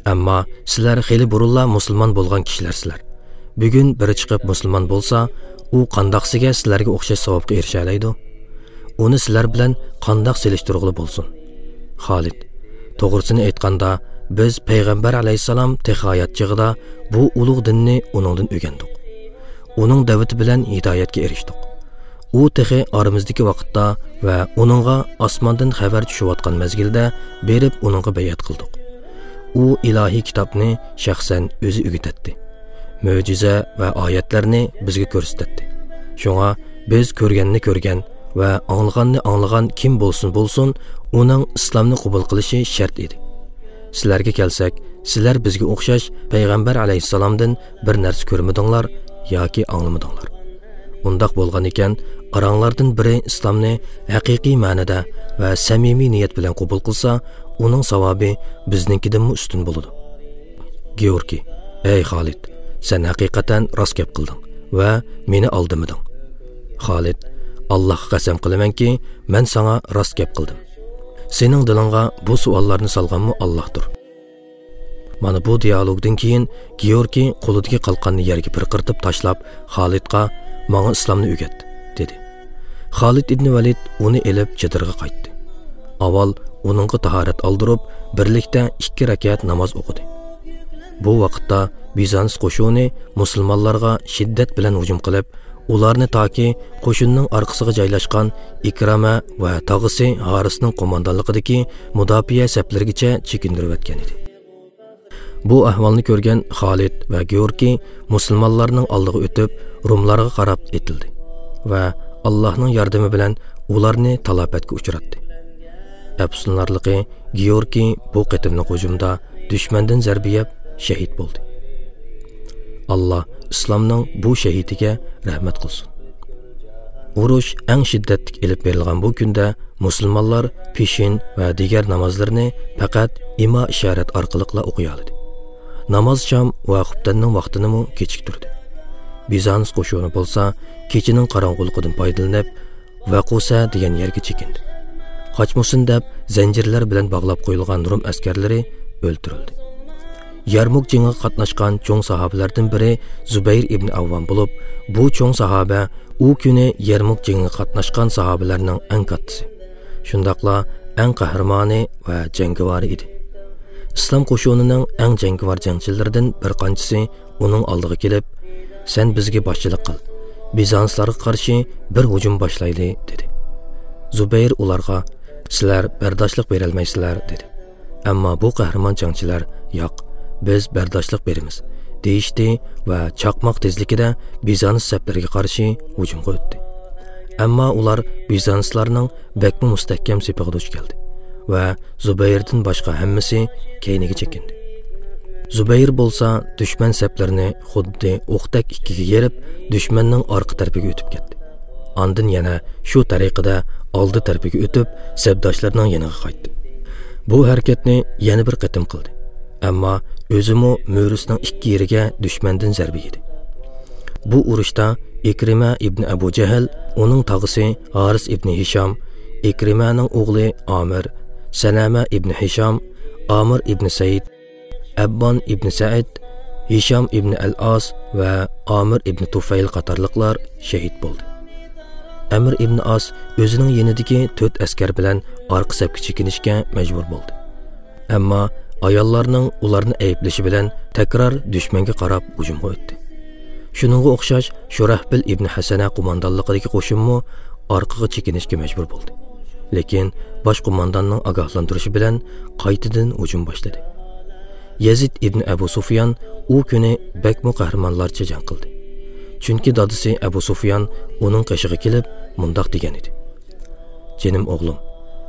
«ئەمما سىلەر خېلى بۇرۇنلا مۇسۇلمان بولغان كىشىلەرسىلەر. بۈگۈن بىرى چىقىپ مۇسۇلمان بولسا، ئۇ قانداقسىگە سىلەرگە ئوخشاش ساۋابقا ئېرىشەلەيدۇ؟ ئۇنى سىلەر بىلەن قانداق سېلىشتۇرغىلى بولسۇن؟» خالىد، «توغرىسىنى ئېيتقاندا، بىز پەيغەمبەر ئەلەيھىسسالام تېخى ھايات چېغىدا بۇ ئۇلۇغ دىننى ئۇنىڭدىن ئۆگەندۇق. ئۇنىڭ دەۋىتى بىلەن ھىدايەتكە ئېرىشتۇق. ئۇ تېخى ئارىمىزدىكى ۋاقىتتا ۋە ئۇنىڭغا ئاسماندىن خەۋەر چۈشۈۋاتقان مەزگىلدە بېرىپ ئۇنىڭغا بەيئەت قىلدۇق. ئۇ ئىلاھىي كىتابنى شەخسەن ئۆزى ئۆگىتەتتى. مۆجىزە ۋە ئايەتلەرنى بىزگە كۆرسىتەتتى. شۇڭا بىز كۆرگەننى كۆرگەن ۋە ئاڭلىغاننى ئاڭلىغان كىم بولسۇن بولسۇن، ئۇنىڭ ئىسلامنى قوبۇل قىلىشى شەرت ئىدى. سىلەرگە كەلسەك، سىلەر بىزگە ئوخشاش پەيغەمبەر ئەلەيھىسسالامدىن بىر نەرسە كۆرمىدىڭلار ياكى ئاڭلىمىدىڭلار. ئۇنداق بولغان ئىكەن، ئاراڭلاردىن بىرى ئىسلامنى ھەقىقىي مەنىدە ۋە سەمىمىي نىيەت بىلەن قوبۇل قىلسا، ئۇنىڭ ساۋابى بىزنىڭكىدىنمۇ ئۈستۈن بولىدۇ. گېئورگىي، ئەي خالىد، سەن ھەقىقەتەن راست گەپ قىلدىڭ ۋە مېنى ئالدىمىدىڭ. خالىد، ئاللاھقا قەسەم قىلىمەنكى، مەن ساڭا راست گەپ قىلدىم. سېنىڭ دىلىڭغا بۇ سوئاللارنى سالغانمۇ ئاللاھتۇر. مانا بۇ دىئالوگدىن كېيىن گېئورگىي قولىدىكى قالقاننى يەرگە پىرقىرىتىپ تاشلاپ، خالىدقا، «ماڭا ئىسلامنى ئۆگەت» دېدى. خالىد ئىبنى ۋەلىد ئۇنى ئېلىپ چېدىرغا قايتتى. ئاۋۋال ئۇنىڭغا تاھارەت ئالدۇرۇپ، بىرلىكتە ئىككى رەكەت ناماز ئوقۇدى. بۇ ۋاقىتتا بىزانس قوشۇنى مۇسۇلمانلارغا شىددەت بىلەن ھۇجۇم قىلىپ، ئۇلارنى تاكى قوشۇننىڭ ئارقىسىغا جايلاشقان ئىكرامە ۋە تاغىسى ھارىسنىڭ قوماندانلىقىدىكى مۇداپىئە سەپلىرىگىچە چېكىندۈرۈۋەتكەن ئىدى. بۇ ئەھۋالنى كۆرگەن خالىد ۋە گېئورگىي مۇسۇلمانلارنىڭ ئالدىغا ئۆتۈپ، روملارغا قاراپ ئېتىلدى ۋە ئاللاھنىڭ ياردىمى بىلەن ئۇلارنى تالاپەتكە ئۇچراتتى. ئەپسۇسلىنارلىقى، گېئورگىي بۇ قېتىملىق ھۇجۇمدا دۈشمەندىن زەربە يەپ شەھىت بولدى. ئاللا ئىسلامنىڭ بۇ شەھىتىگە رەھمەت قىلسۇن. ئۇرۇش ئەڭ شىددەتلىك ئېلىپ بېرىلغان بۇ كۈندە مۇسۇلمانلار پېشىن ۋە دىگەر نامازلىرىنى پەقەت ئىما ئىشارەت ئارقىلىقلا ئوقۇيالىدى. ناماز شام ۋە خۇپتەننىڭ ۋاقتىنىمۇ كېچىكتۈردى. بىزانس قوشۇنى بولسا كېچىنىڭ قاراڭغۇلۇقىدىن پايدىلىنىپ، ۋەقۇسە دېگەن يەرگە چېكىندى. قاچمىسۇن دەپ زەنجىرلەر بىلەن باغلاپ قويۇلغان روم ئەسكەرلىرى ئۆلتۈرۈلدى. يەرمۇك جېڭىغا قاتناشقان چوڭ ساھابىلەردىن بىرى زۇبەير ئىبنى ئەۋۋام بولۇپ، بۇ چوڭ ساھابە ئۇ كۈنى يەرمۇك جېڭىغا قاتناشقان ساھابىلەرنىڭ ئەڭ كاتتىسى، شۇنداقلا ئەڭ قەھرىمانى ۋە جەڭگىۋارى ئىدى. ئىسلام قوشۇنىنىڭ ئەڭ جەڭگىۋار جەڭچىلىرىدىن بىر قانچىسى ئۇنىڭ ئالدىغا كېلىپ، «سەن بىزگە باشچىلىق قىل، بىزانسلارغا قارشى بىر ھۇجۇم باشلايلى» دېدى. زۇبەير ئۇلارغا، «سىلەر بەرداشلىق بېرەلمەيسىلەر» دېدى. ئەمما بۇ قەھرىمان جەڭچىلەر، «ياق، بىز بەرداشلىق بېرىمىز» دېيىشتى ۋە چاقماق تېزلىكىدە بىزانس سەپلىرىگە قارشى ھۇجۇمغا ئۆتتى. ئەمما ئۇلار بىزانسلارنىڭ بەكمۇ مۇستەھكەم سېپىغا دۇچ كەلدى ۋە زۇبەيردىن باشقا ھەممىسى كەينىگە چېكىندى. زۇبەير بولسا دۈشمەن سەپلىرىنى خۇددى ئوقتەك ئىككىگە يېرىپ، دۈشمەننىڭ ئارقا تەرىپىگە ئۆتۈپ كەتتى. ئاندىن يەنە شۇ تەرىقىدە ئالدى تەرىپىگە ئۆتۈپ، سەپداشلىرىنىڭ يېنىغا قايتتى. بۇ ھەرىكەتنى يەنە بىر قېتىم قىلدى. ئەمما ئۆزىمۇ مۈرىسىنىڭ ئىككى يېرىگە دۈشمەندىن زەربە يېدى. بۇ ئۇرۇشتا ئىكرىمە ئىبنى ئەبۇ جەھىل، ئۇنىڭ تاغىسى ھارىس ئىبنى ھىشام، ئىكرىمەنىڭ ئوغلى ئامىر، سەلەمە ئىبنى ھىشام، ئامىر ئىبنى سەئىد، ئەببان ئىبنى سەئىد، ھىشام ئىبنى ئەل ئاس ۋە ئامىر ئىبنى تۇفەيل قاتارلىقلار شېھىت بولدى. ئەمر ئىبنى ئاس ئۆزىنىڭ يېنىدىكى تۆت ئەسكەر بىلەن ئارقا سەپكە چېكىنىشكە مەجبۇر بولدى. ئەمما ئاياللارنىڭ ئۇلارنى ئەيىبلىشى بىلەن تەكرار دۈشمەنگە قاراپ ھۇجۇمغا ئۆتتى. شۇنىڭغا ئوخشاش شۇراھبىل ئىبنى ھەسەنە قوماندانلىقىدىكى قوشۇنمۇ ئارقىغا چېكىنىشكە مەجبۇر بولدى. لېكىن باش قومانداننىڭ ئاگاھلاندۇرۇشى بىلەن قايتىدىن ھۇجۇم باشلىدى. يەزىد ئىبنى ئەبۇ سۇفيان ئۇ كۈنى بەكمۇ قەھرىمانلارچە جەڭ قىلدى. چۈنكى دادىسى ئەبۇ سۇفيان ئۇنىڭ قېشىغا كېلىپ مۇنداق دېگەن ئىدى: «جېنىم ئوغلۇم،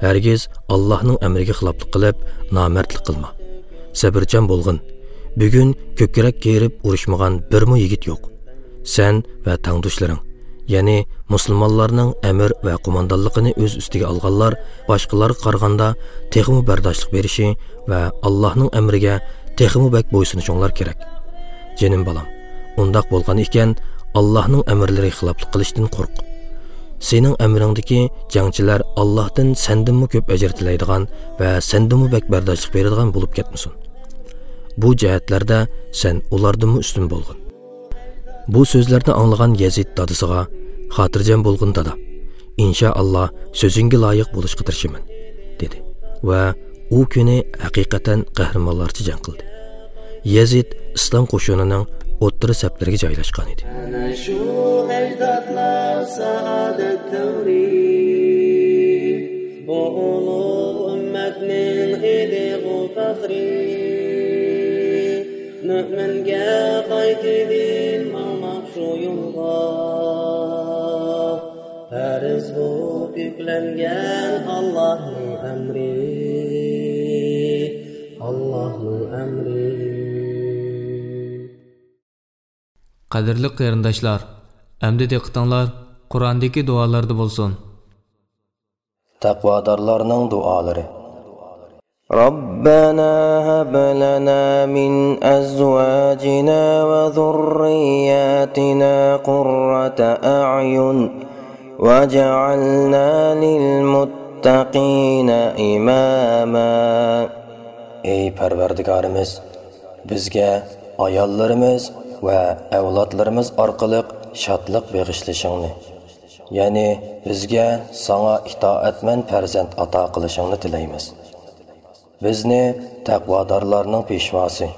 ھەرگىز ئاللاھنىڭ ئەمرىگە خىلاپلىق قىلىپ، نامەردلىك قىلما. سەبرچان بولغىن. بۈگۈن كۆكرەك كېرىپ ئۇرۇشمىغان بىرمۇ يىگىت يوق. سەن ۋە تەڭداشلىرىڭ، يەنى مۇسۇلمانلارنىڭ ئەمىر ۋە قوماندانلىقىنى ئۆز ئۈستىگە ئالغانلار باشقىلارغا قارىغاندا تېخىمۇ بەرداشلىق بېرىشى ۋە ئاللاھنىڭ ئەمرىگە تېخىمۇ بەك بويسۇنۇشۇڭلار كېرەك. جېنىم بالام، ئۇنداق بولغان ئىكەن، ئاللاھنىڭ ئەمىرلىرىگە خىلاپلىق قىلىشتىن قورق. سېنىڭ ئەمرىڭدىكى جەڭچىلەر ئاللاھتىن سەندىنمۇ كۆپ ئەجىر تىلەيدىغان ۋە سەندىنمۇ بەك بەرداشلىق بېرىدىغان بولۇپ كەتمىسۇن. بۇ جەھەتلەردە سەن ئۇلاردىنمۇ ئۈستۈن بولغىن. بۇ سۆزلەرنى ئاڭلىغان يەزىد دادىسىغا، «خاتىرجەم بولغىن، دادا. ئىنشائاللا، سۆزۈڭگە لايىق بولۇشقا تىرىشىمەن» دېدى ۋە ئۇ كۈنى ھەقىقەتەن قەھرىمانلارچە جەڭ قىلدى. يەزىد ئىسلام قوشۇنىنىڭ ئوتتۇرا سەپلىرىگە جايلاشقان ئىدى. ئەنە شۇ ئەجدادلار سائادەت دەۋرى، بۇ ئۇلۇغ ئۈممەتنىڭ ئىدىغۇ پەخرى. مۆمىنگە قايتىدىن ماڭماق شۇ يولغا، پەرز بولۇپ يۈكلەنگەن ئاللاھنىڭ ئەمرى، ئاللاھنىڭ ئەمرى. قەدىرلىك قېرىنداشلار، ئەمدى دىققىتىڭلار قۇرئاندىكى دۇئالاردا بولسۇن. تەقۋادارلارنىڭ دۇئالىرى. ربنا هب لنا من أزواجنا وذرياتنا قرة أعين واجعلنا للمتقين إماما. ئەي پەرۋەردىگارىمىز، بىزگە ئاياللىرىمىز ۋە ئەۋلادلىرىمىز ئارقىلىق شادلىق بېغىشلىشىڭنى، يەنى بىزگە ساڭا ئىتائەتمەن پەرزەنت ئاتا قىلىشىڭنى تىلەيمىز. بىزنى تەقۋادارلارنىڭ پېشۋاسى،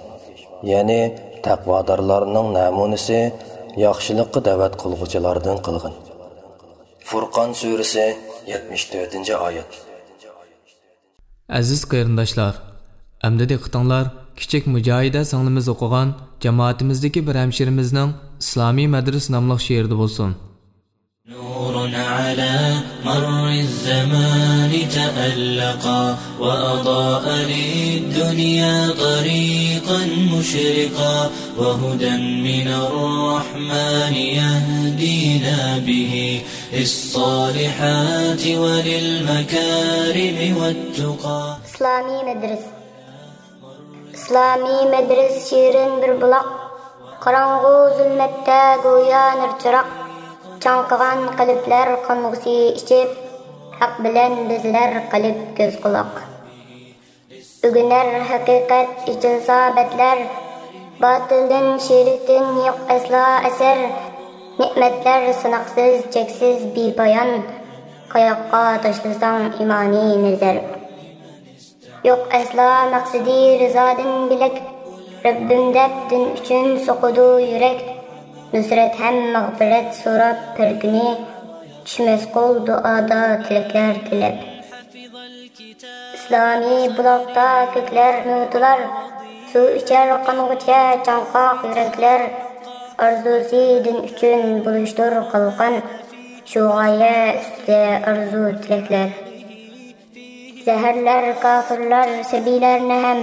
يەنى تەقۋادارلارنىڭ نەمۇنىسى، ياخشىلىققا دەۋەت قىلغۇچىلاردىن قىلغىن. فۇرقان سۈرىسى، يەتمىش تۆتىنچى ئايەت. ئەزىز قېرىنداشلار، ئەمدى دىققىتىڭلار كىچىك مۇجاھىدە سىڭلىمىز ئوقۇغان جامائىتىمىزدىكى بىر ھەمشىرىمىزنىڭ ئىسلامىي مەدرىسە ناملىق شېئىرىدا بولسۇن. نور على مر الزمان تألقا، وأضاء للدنيا طريقا مشرقا، وهدى من الرحمن يهدينا به للصالحات وللمكارم والتقى. ئىسلامىي مەدرىسە. ئىسلامىي مەدرىسە شېرىن بىر بۇلاق، قاراڭغۇ زۇلمەتتە گويا نۇر چىراغ. چاڭقىغان قەلبلەر قانغۇسى ئىچىپ، ھەق بىلەن بېزىلەر قەلب، كۆز، قۇلاق. ئۆگىنەر ھەقىقەت ئېچىلسا بەتلەر، باتىلدىن، شىركتىن يوق ئەسلا ئەسەر. نېمەتلەر ساناقسىز، چەكسىز، بىپايان، قاياققا تاشلىساڭ ئىمانىي نەزەر. يوق ئەسلا مەقسىتى رىزادىن بۆلەك، رەببىم دەپ دىن ئۈچۈن سوقىدۇ يۈرەك. نۇسرەت ھەم مەغپىرەت سوراپ بىر كۈنى، چۈشمەس قول دۇئادا تىلەكلەر تىلەپ. ئىسلامىي بۇلاقتا كۆكلەر نۇر تولار، سۇ ئىچەر قانغۇچە چاڭقاق يۈرەكلەر. ئارزۇسى دىن ئۈچۈن بولۇشتۇر قالقان، شۇ غايە ئۈستىدە ئارزۇ تىلەكلەر. زەھەرلەر كاپىرلار سەبىيلەرنى ھەم،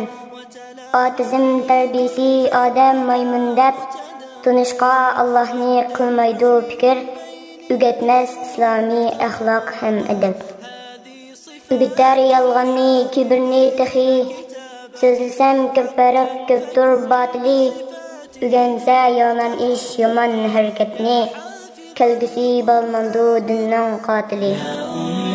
ئاتېئىزم تەربىيىسى ئادەم مايمۇن دەپ، تونۇشقا ئاللاھنى قىلمايدۇ پىكىر، ئۆگەتمەس ئىسلامىي ئەخلاق ھەم ئەدەپ. ئۆگىتەر يالغاننى، كىبىرنى تېخى، سۆزلىسەم كۆپ پەرق، كۆپتۇر باتىلى. ئۆگەنسە يامان ئىش، يامان ھەرىكەتنى، كەلگۈسى بولمامدۇ دىننىڭ قاتىلى.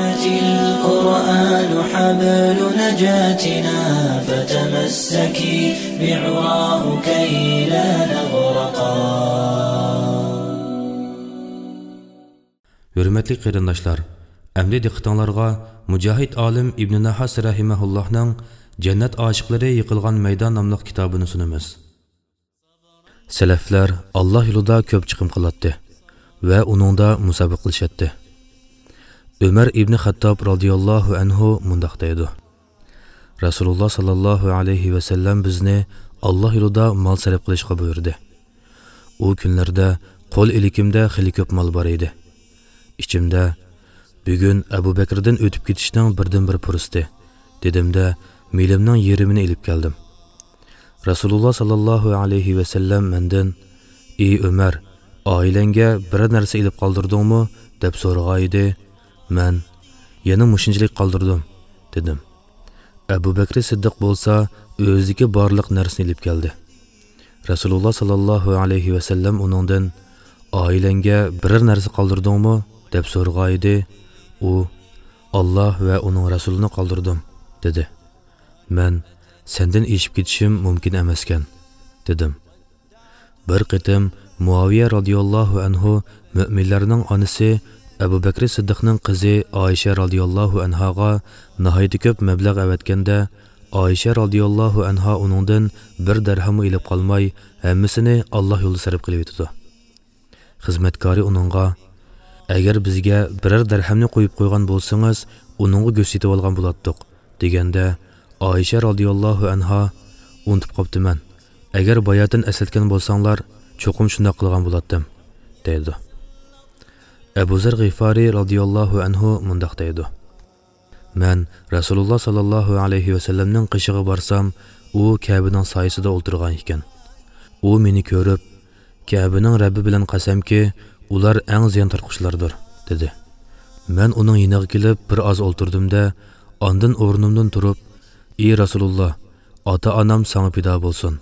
أمتي القرآن حبل نجاتنا، فتمسكي بعراه كي لا نغرقا. ھۆرمەتلىك قېرىنداشلار، ئەمدى دىققىتىڭلارغا مۇجاھىد ئالىم ئىبنى ناھاس رەھىمەھۇللاھنىڭ جەننەت ئاشىقلىرى يىقىلغان مەيدان ناملىق كىتابىنى سۇنىمىز. سەلەفلەر ئاللاھ يولىدا كۆپ چىقىم قىلاتتى ۋە ئۇنىڭدا مۇسابىقە قىلىشاتتى. ئۆمەر ئىبنى خەتتاب رازىياللاھۇ ئەنھۇ مۇنداق دەيدۇ: رەسۇلۇللاھ ساللاللاھۇ ئەلەيھى ۋەسەللەم بىزنى ئاللاھ يولىدا مال سەرپ قىلىشقا بۇيرۇدى. ئۇ كۈنلەردە قول ئىلكىمدە خېلى كۆپ مال بار ئىدى. ئىچىمدە، بۈگۈن ئەبۇ بەكرىدىن ئۆتۈپ كېتىشنىڭ بىردىنبىر پۇرسىتى، دېدىمدە، مېلىمنىڭ يېرىمىنى ئېلىپ كەلدىم. رەسۇلۇللاھ ساللاللاھۇ ئەلەيھى ۋەسەللەم مەندىن، ئى ئۆمەر، ئائىلەڭگە بىرەر نەرسە ئېلىپ قالدۇردۇڭمۇ؟ دەپ سورىغانىدى. مەن، يەنە مۇشۇنچىلىك قالدۇردۇم، دېدىم. ئەبۇ بەكرى سىددىق بولسا ئۆزىدىكى بارلىق نەرسىنى ئېلىپ كەلدى. رەسۇلۇللاھ ساللاللاھۇ ئەلەيھى ۋەسەللەم ئۇنىڭدىن، ئائىلەڭگە بىرەر نەرسە قالدۇردۇڭمۇ؟ دەپ سورىغانىدى. ئۇ، ئاللاھ ۋە ئۇنىڭ رەسۇلىنى قالدۇردۇم، دېدى. مەن، سەندىن ئېشىپ كېتىشىم مۇمكىن ئەمەسكەن، دېدىم. بىر قېتىم مۇئاۋىيە رازىياللاھۇ ئەنھۇ مۆمىنلەرنىڭ ئانىسى ئەبۇ بەكرى سىددىقنىڭ قىزى ئائىشە رازىياللاھۇ ئەنھاغا ناھايىتى كۆپ مەبلەغ ئەۋەتكەندە، ئائىشە رازىياللاھۇ ئەنھا ئۇنىڭدىن بىر دەرھەممۇ ئېلىپ قالماي، ھەممىسىنى ئاللاھ يولىدا سەرپ قىلىۋېتىدۇ. خىزمەتكارى ئۇنىڭغا، ئەگەر بىزگە بىرەر دەرھەمنى قويۇپ قويغان بولسىڭىز، ئۇنىڭغا گۆش سېتىۋالغان بولاتتۇق، دېگەندە، ئائىشە رازىياللاھۇ ئەنھا، ئۇنتۇپ قاپتىمەن. ئەگەر باياتىن ئەسلەتكەن بولساڭلار، چوقۇم شۇنداق قىلغان بولاتتىم، دەيدۇ. ئەبۇ زەر غىفارى رازىياللاھۇ ئەنھۇ مۇنداق دەيدۇ: مەن رەسۇلۇللاھ ساللاللاھۇ ئەلەيھى ۋەسەللەمنىڭ قېشىغا بارسام، ئۇ كەبىنىڭ سايىسىدا ئولتۇرغان ئىكەن. ئۇ مېنى كۆرۈپ، كەبىنىڭ رەببى بىلەن قەسەمكى، ئۇلار ئەڭ زىيان تارتقۇچىلاردۇر، دېدى. مەن ئۇنىڭ يېنىغا كېلىپ بىر ئاز ئولتۇردۇم-دە، ئاندىن ئورنۇمدىن تۇرۇپ، ئى رەسۇلۇللاھ، ئاتا-ئانام ساڭا پىدا بولسۇن.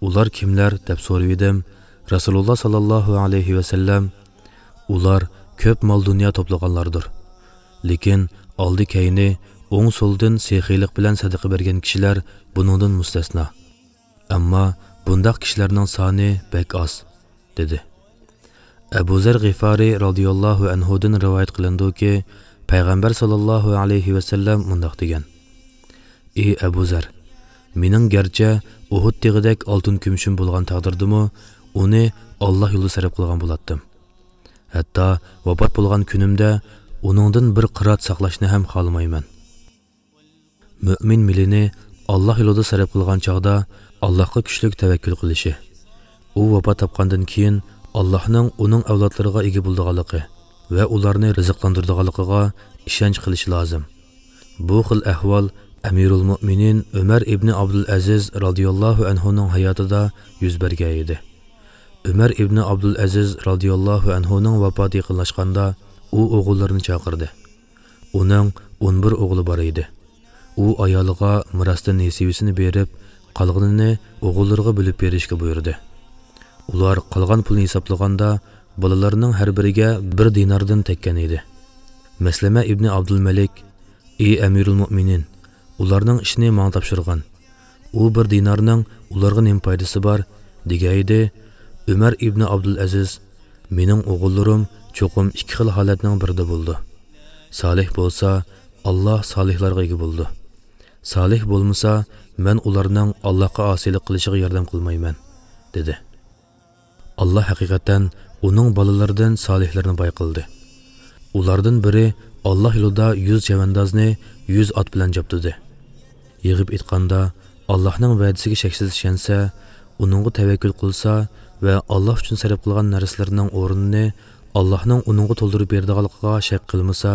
ئۇلار كىملەر؟ دەپ سورىۋىدىم. رەسۇلۇللاھ ساللاللاھۇ ئەلەيھى ۋەسەللەم، ئۇلار كۆپ مال-دۇنيا توپلىغانلاردۇر. لېكىن ئالدى-كەينى، ئوڭ-سولدىن سېخىيلىق بىلەن سەدىقە بەرگەن كىشىلەر بۇنىڭدىن مۇستەسنا. ئەمما بۇنداق كىشىلەرنىڭ سانى بەك ئاز، دېدى. ئەبۇ زەر غىفارى رازىياللاھۇ ئەنھۇدىن رىۋايەت قىلىنىدۇكى، پەيغەمبەر ساللاللاھۇ ئەلەيھى ۋەسەللەم مۇنداق دېگەن: ئى ئەبۇ زەر، مېنىڭ گەرچە ئۇھۇد تېغىدەك ئالتۇن كۈمۈشۈم بولغان تەقدىردىمۇ، ئۇنى ئاللاھ يولىدا سەرپ قىلغان بولاتتىم. ھەتتا ۋاپات بولغان كۈنۈمدە ئۇنىڭدىن بىر قىرات ساقلاشنى ھەم خالىمايمەن. مۆمىن مېلىنى ئاللاھ يولىدا سەرپ قىلغان چاغدا ئاللاھقا كۈچلۈك تەۋەككۈل قىلىشى، ئۇ ۋاپات تاپقاندىن كېيىن ئاللاھنىڭ ئۇنىڭ ئەۋلادلىرىغا ئىگە بولىدىغانلىقى ۋە ئۇلارنى رىزىقلاندۇرىدىغانلىقىغا ئىشەنچ قىلىشى لازىم. بۇ خىل ئەھۋال ئەمىرۇل مۆمىنىن ئۆمەر ئىبنى ئابدۇل ئەزىز رازىياللاھۇ ئەنھۇنىڭ ھاياتىدا يۈز بەرگەن ئىدى. ئۆمەر ئىبنى ئابدۇل ئەزىز رازىياللاھۇ ئەنھۇنىڭ ۋاپاتى يېقىنلاشقاندا، ئۇ ئوغۇللىرىنى چاقىردى. ئۇنىڭ ئون بىر ئوغلى بار ئىدى. ئۇ ئايالىغا مىراستىن نېسىۋىسىنى بېرىپ، قالغىنىنى ئوغۇللىرىغا بۆلۈپ بېرىشكە بۇيرۇدى. ئۇلار قالغان پۇلنى ھېسابلىغاندا، بالىلارنىڭ ھەر بىرىگە بىر دىناردىن تەگكەن ئىدى. مەسلەمە ئىبنى ئابدۇلمەلىك، ئى ئەمىرۇل مۆمىنىن، ئۇلارنىڭ ئىشىنى ماڭا تاپشۇرغىن. ئۇ بىر دىنارنىڭ ئۇلارغا نېمە پايدىسى بار؟ دېگەن ئىدى. ئۆمەر ئىبنى ئابدۇل ئەزىز، مېنىڭ ئوغۇللىرىم چوقۇم ئىككى خىل ھالەتنىڭ بىرىدە بولىدۇ. سالىھ بولسا، ئاللاھ سالىھلارغا ئىگە بولىدۇ. سالىھ بولمىسا، مەن ئۇلارنىڭ ئاللاھقا ئاسىيلىق قىلىشىغا ياردەم قىلمايمەن، دېدى. ئاللاھ ھەقىقەتەن ئۇنىڭ بالىلىرىدىن سالىھلىرىنى باي قىلدى. ئۇلاردىن بىرى ئاللاھ يولىدا يۈز چەۋەندازنى يۈز ئات بىلەن جابدۇدى. يىغىپ ئېيتقاندا، ئاللاھنىڭ ۋەدىسىگە شەكسىز ئىشەنسە، ئۇنىڭغا تەۋەككۈل قىلسا ۋە ئاللاھ ئۈچۈن سەرپ قىلغان نەرسىلىرىنىڭ ئورنىنى ئاللاھنىڭ ئۇنىڭغا تولدۇرۇپ بېرىدىغانلىقىغا شەك قىلمىسا،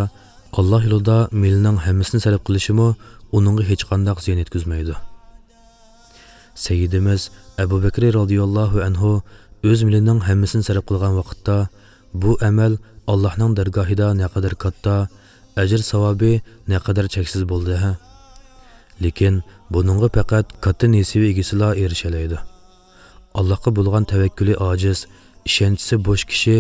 ئاللاھ يولىدا مېلىنىڭ ھەممىسىنى سەرپ قىلىشىمۇ ئۇنىڭغا ھېچقانداق زىيان يەتكۈزمەيدۇ. سەييىدىمىز ئەبۇ بەكرى رازىياللاھۇ ئەنھۇ ئۆز مېلىنىڭ ھەممىسىنى سەرپ قىلغان ۋاقىتتا، بۇ ئەمەل ئاللاھنىڭ دەرگاھىدا نەقەدەر كاتتا، ئەجىر ساۋابى نەقەدەر چەكسىز بولدى ھە! لېكىن بۇنىڭغا پەقەت كاتتا نېسىۋە ئىگىسىلا ئېرىشەلەيدۇ. ئاللاھقا بولغان تەۋەككۈلى ئاجىز، ئىشەنچىسى بوش كىشى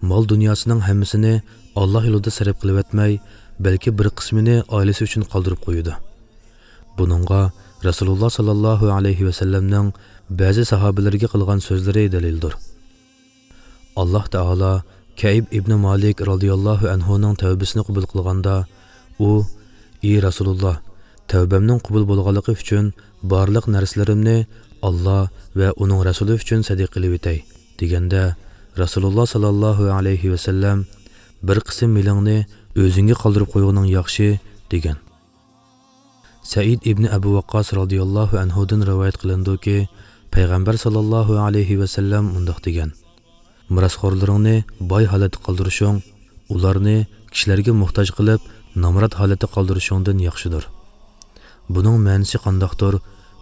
مال دۇنياسىنىڭ ھەممىسىنى ئاللاھ يولىدا سەرپ قىلىۋەتمەي، بەلكى بىر قىسمىنى ئائىلىسى ئۈچۈن قالدۇرۇپ قويىدۇ. بۇنىڭغا رەسۇلۇللاھ ساللاللاھۇ ئەلەيھى ۋەسەللەمنىڭ بەزى ساھابىلىرىگە قىلغان سۆزلىرى دەلىلدۇر. ئاللاھ تائالا كەئب ئىبنى مالىك رازىياللاھۇ ئەنھۇنىڭ تەۋبىسىنى قوبۇل قىلغاندا، ئۇ، ئى رەسۇلۇللاھ، تەۋبەمنىڭ قوبۇل بولغانلىقى ئۈچۈن بارلىق نەرسىلىرىمنى ئاللاھ ۋە ئۇنىڭ رەسۇلى ئۈچۈن سەدىقە قىلىۋېتەي، دېگەندە، رەسۇلۇللاھ ساللاللاھۇ ئەلەيھى ۋەسەللەم، بىر قىسىم مېلىڭنى ئۆزۈڭگە قالدۇرۇپ قويغىنىڭ ياخشى، دېگەن. سەئىد ئىبنى ئەبۇ ۋەققاس رازىياللاھۇ ئەنھۇدىن رىۋايەت قىلىنىدۇكى، پەيغەمبەر ساللاللاھۇ ئەلەيھى ۋەسەللەم مۇنداق دېگەن: مىراسخورلىرىڭنى باي ھالەتتە قالدۇرۇشۇڭ، ئۇلارنى كىشىلەرگە موھتاج قىلىپ، نامرات ھالەتتە قالدۇرۇشۇڭدىن ياخشىدۇر. بۇنىڭ مەنىسى قانداقتۇر؟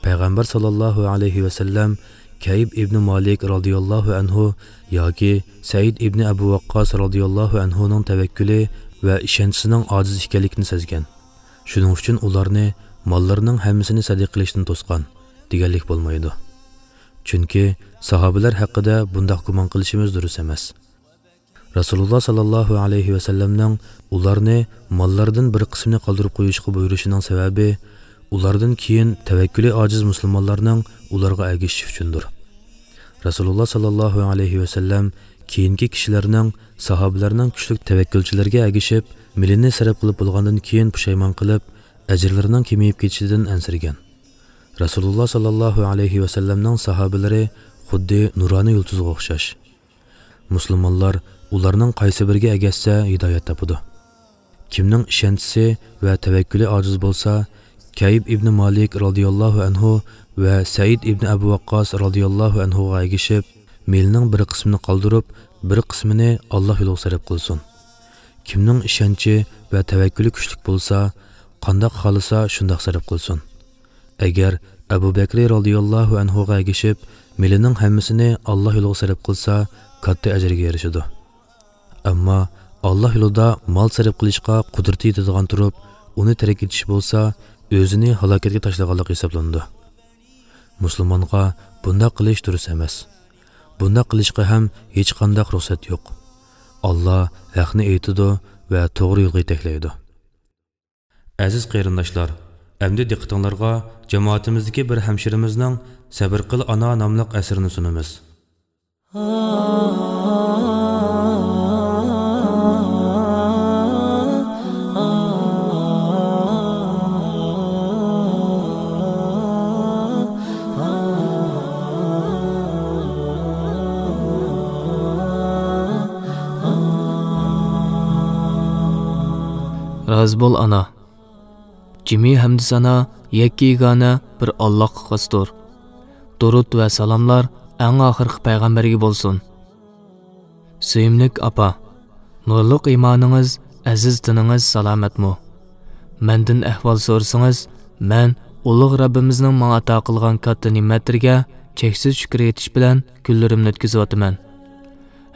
پەيغەمبەر ساللاللاھۇ ئەلەيھى ۋەسەللەم كەئب ئىبنى مالىك رازىياللاھۇ ئەنھۇ ياكى سەئىد ئىبنى ئەبۇ ۋەققاس رازىياللاھۇ ئەنھۇنىڭ تەۋەككۈلى ۋە ئىشەنچىسىنىڭ ئاجىز ئىكەنلىكىنى سەزگەن. شۇنىڭ ئۈچۈن ئۇلارنى ماللىرىنىڭ ھەممىسىنى سەدىقە قىلىشتىن توسقان، دېگەنلىك بولمايدۇ. چۈنكى ساھابىلەر ھەققىدە بۇنداق گۇمان قىلىشىمىز دۇرۇس ئەمەس. رەسۇلۇللاھ ساللاللاھۇ ئەلەيھى ۋەسەللەمنىڭ ئۇلارنى ماللىرىدىن بىر قىسمىنى قالدۇرۇپ قويۇشقا بۇيرۇشىنىڭ سەۋەبى، ئۇلاردىن كېيىن تەۋەككۈلى ئاجىز مۇسۇلمانلارنىڭ ئۇلارغا ئەگىشىشى ئۈچۈندۇر. رەسۇلۇللاھ ساللاللاھۇ ئەلەيھى ۋەسەللەم كېيىنكى كىشىلەرنىڭ ساھابىلەرنىڭ كۈچلۈك تەۋەككۈلچىلىرىگە ئەگىشىپ، مېلىنى سەرپ قىلىپ بولغاندىن كېيىن پۇشايمان قىلىپ، ئەجىرلىرىنىڭ كېمىيىپ كېتىشىدىن ئەنسىرىگەن. رەسۇلۇللاھ ساللاللاھۇ ئەلەيھى ۋەسەللەمنىڭ ساھابىلىرى خۇددى نۇرانە يۇلتۇزغا ئوخشاش. مۇسۇلمانلار ئۇلارنىڭ قايسى بىرىگە ئەگەشسە ھىدايەت تاپىدۇ. كىمنىڭ ئىشەنچىسى ۋە تەۋەككۈلى ئاجىز بولسا، كەئب ئىبنى مالىك رازىياللاھۇ ئەنھۇ ۋە سەئىد ئىبنى ئەبۇ ۋەققاس رازىياللاھۇ ئەنھۇغا ئەگىشىپ، مېلىنىڭ بىر قىسمىنى قالدۇرۇپ، بىر قىسمىنى ئاللاھ يولىغا سەرپ قىلسۇن. كىمنىڭ ئىشەنچى ۋە تەۋەككۈلى كۈچلۈك بولسا، قانداق خالىسا شۇنداق سەرپ قىلسۇن. ئەگەر ئەبۇ بەكرى رازىياللاھۇ ئەنھۇغا ئەگىشىپ، مېلىنىڭ ھەممىسىنى ئاللاھ يولىغا سەرپ قىلسا، كاتتا ئەجىرگە ئېرىشىدۇ. ئەمما ئاللاھ يولىدا مال سەرپ قىلىشقا قۇدرىتى يېتىدىغان تۇرۇپ، ئۇنى تەرك ئېتىش بولسا، ئۆزىنى ھالاكەتكە تاشلىغانلىق ھېسابلىنىدۇ. مۇسۇلمانغا بۇنداق قىلىش دۇرۇس ئەمەس. بۇنداق قىلىشقا ھەم ھېچقانداق رۇخسەت يوق. ئاللاھ ھەقنى ئېيتىدۇ ۋە توغرا يولغا يېتەكلەيدۇ. ئەزىز قېرىنداشلار، ئەمدى دىققىتىڭلارغا جامائىتىمىزدىكى بىر ھەمشىرىمىزنىڭ سەبرى قىل ئانا ناملىق ئەسىرىنى سۇنىمىز. رازى بول ئانا. جىمى ھەمدۇ سانا يەككە يېگانە بىر ئاللاھقا خاستۇر. دۇرۇت ۋە سالاملار ئەڭ ئاخىرقى پەيغەمبەرگە بولسۇن. سۆيۈملۈك ئاپا، نۇرلۇق ئىمانىڭىز، ئەزىز تېنىڭىز سالامەتمۇ؟ مەندىن ئەھۋال سورىسىڭىز، مەن ئۇلۇغ رەببىمىزنىڭ ماڭا ئاتا قىلغان كاتتا نېمەتلىرىگە چەكسىز شۈكۈر ئېيتىش بىلەن كۈنلىرىمنى ئۆتكۈزۈۋاتىمەن.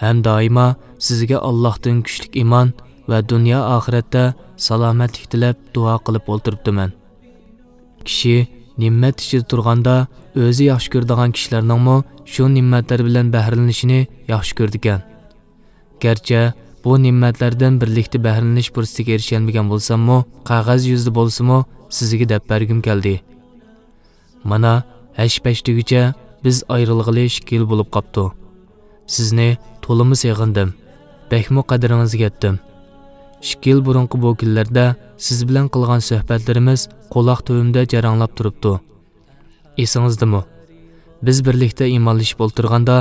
ھەم دائىما سىزگە ئاللاھتىن كۈچلۈك ئىمان ۋە دۇنيا ئاخىرەتتە سالامەتلىك تىلەپ دۇئا قىلىپ ئولتۇرۇپتىمەن. كىشى نېمەت ئىچىدە تۇرغاندا ئۆزى ياخشى كۆرىدىغان كىشىلەرنىڭمۇ شۇ نېمەتلەر بىلەن بەھرىلىنىشىنى ياخشى كۆرىدىكەن. گەرچە بۇ نېمەتلەردىن بىرلىكتە بەھرىلىنىش پۇرسىتىگە ئېرىشەلمىگەن بولساممۇ، قەغەز يۈزىدە بولسىمۇ سىزگە دەپ بەرگۈم كەلدى. مانا، ھەش-پەش دېگۈچە بىز ئايرىلغىلى ئىككى يىل بولۇپ قاپتۇ. سىزنى تولىمۇ سېغىندىم، بەكمۇ قەدرىڭىزگە يەتتىم. ئىككى يىل بۇرۇنقى بۇ كۈنلەردە سىز بىلەن قىلغان سۆھبەتلىرىمىز قۇلاق تۈۋىمدە جاراڭلاپ تۇرۇپتۇ. ئېسىڭىزدىمۇ؟ بىز بىرلىكتە ئىمانلىشىپ ئولتۇرغاندا،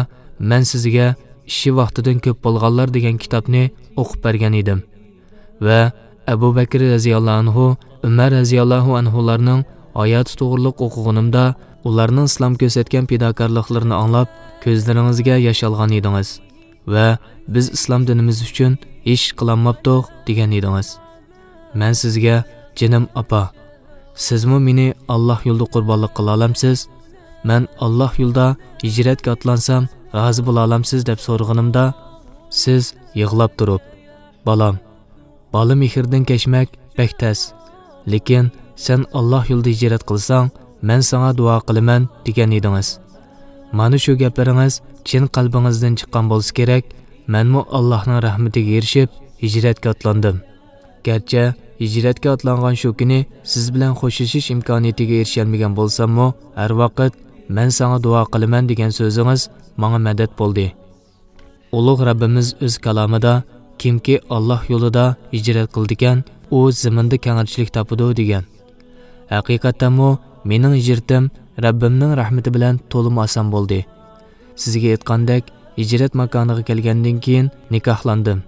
مەن سىزگە ئىشى ۋاقتىدىن كۆپ بولغانلار دېگەن كىتابنى ئوقۇپ بەرگەن ئىدىم. ۋە ئەبۇ بەكرى رەزىياللاھۇ ئەنھۇ، ئۆمەر رەزىياللاھۇ ئەنھۇلارنىڭ ھاياتى توغرىلىق ئوقۇغىنىمدا، ئۇلارنىڭ ئىسلام كۆرسەتكەن پىداكارلىقلىرىنى ئاڭلاپ، كۆزلىرىڭىزگە ياش ئالغان ئىدىڭىز. ۋە بىز ئىسلام دىنىمىز ئۈچۈن ھېچ ئىش قىلالماپتۇق دېگەن ئىدىڭىز. مەن سىزگە، جېنىم ئاپا، سىزمۇ مېنى ئاللاھ يولىدا قۇربانلىق قىلالامسىز؟ مەن ئاللاھ يولىدا ھىجرەتكە ئاتلانسام رازى بولالامسىز دەپ سورىغىنىمدا، سىز يىغلاپ تۇرۇپ، بالام، بالا مېھرىدىن كەچمەك بەك تەس. لېكىن سەن ئاللاھ يولىدا ھىجرەت قىلساڭ، مەن ساڭا دۇئا قىلىمەن دېگەن ئىدىڭىز. مانا شۇ گەپلىرىڭىز چىن قەلبىڭىزدىن چىققان بولسا كېرەك، مەنمۇ ئاللاھنىڭ رەھمىتىگە ئېرىشىپ ھىجرەتكە ئاتلاندىم. گەرچە ھىجرەتكە ئاتلانغان شۇ كۈنى سىز بىلەن خوشلىشىش ئىمكانىيىتىگە ئېرىشەلمىگەن بولساممۇ، ھەر ۋاقىت مەن ساڭا دۇئا قىلىمەن دېگەن سۆزىڭىز ماڭا مەدەت بولدى. ئۇلۇغ رەببىمىز ئۆز كالامىدا، كىمكى ئاللاھ يولىدا ھىجرەت قىلىدىكەن، ئۇ زېمىندا كەڭرىچىلىك تاپىدۇ، دېگەن. ھەقىقەتەنمۇ مېنىڭ ھىجرىتىم رەببىمنىڭ رەھمىتى بىلەن تولىمۇ ئاسان بولدى. سىزگە ئېيتقاندەك، ھىجرەت ماكانىغا كەلگەندىن كېيىن نىكاھلاندىم.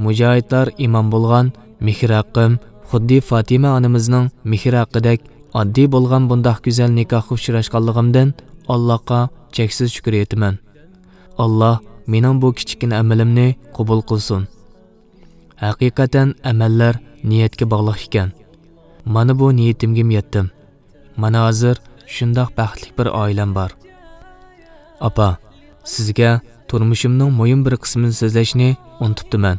مۇجاھىدلار ئىمام بولغان مېھرى ھەققىم خۇددى فاتىمە ئانىمىزنىڭ مېھرى ھەققىدەك ئاددىي بولغان بۇنداق گۈزەل نىكاھقا ئۇچراشقانلىقىمدىن ئاللاھقا چەكسىز شۈكۈر ئېيتىمەن. ئاللاھ مېنىڭ بۇ كىچىككىنە ئەمىلىمنى قوبۇل قىلسۇن. ھەقىقەتەن ئەمەللەر نىيەتكە باغلىق ئىكەن. مانا بۇ نىيىتىمگىمۇ يەتتىم. مانا ھازىر شۇنداق بەختلىك بىر ئائىلەم بار. ئاپا، سىزگە تۇرمۇشۇمنىڭ مۇھىم بىر قىسمىنى سۆزلەشنى ئۇنتۇپتىمەن.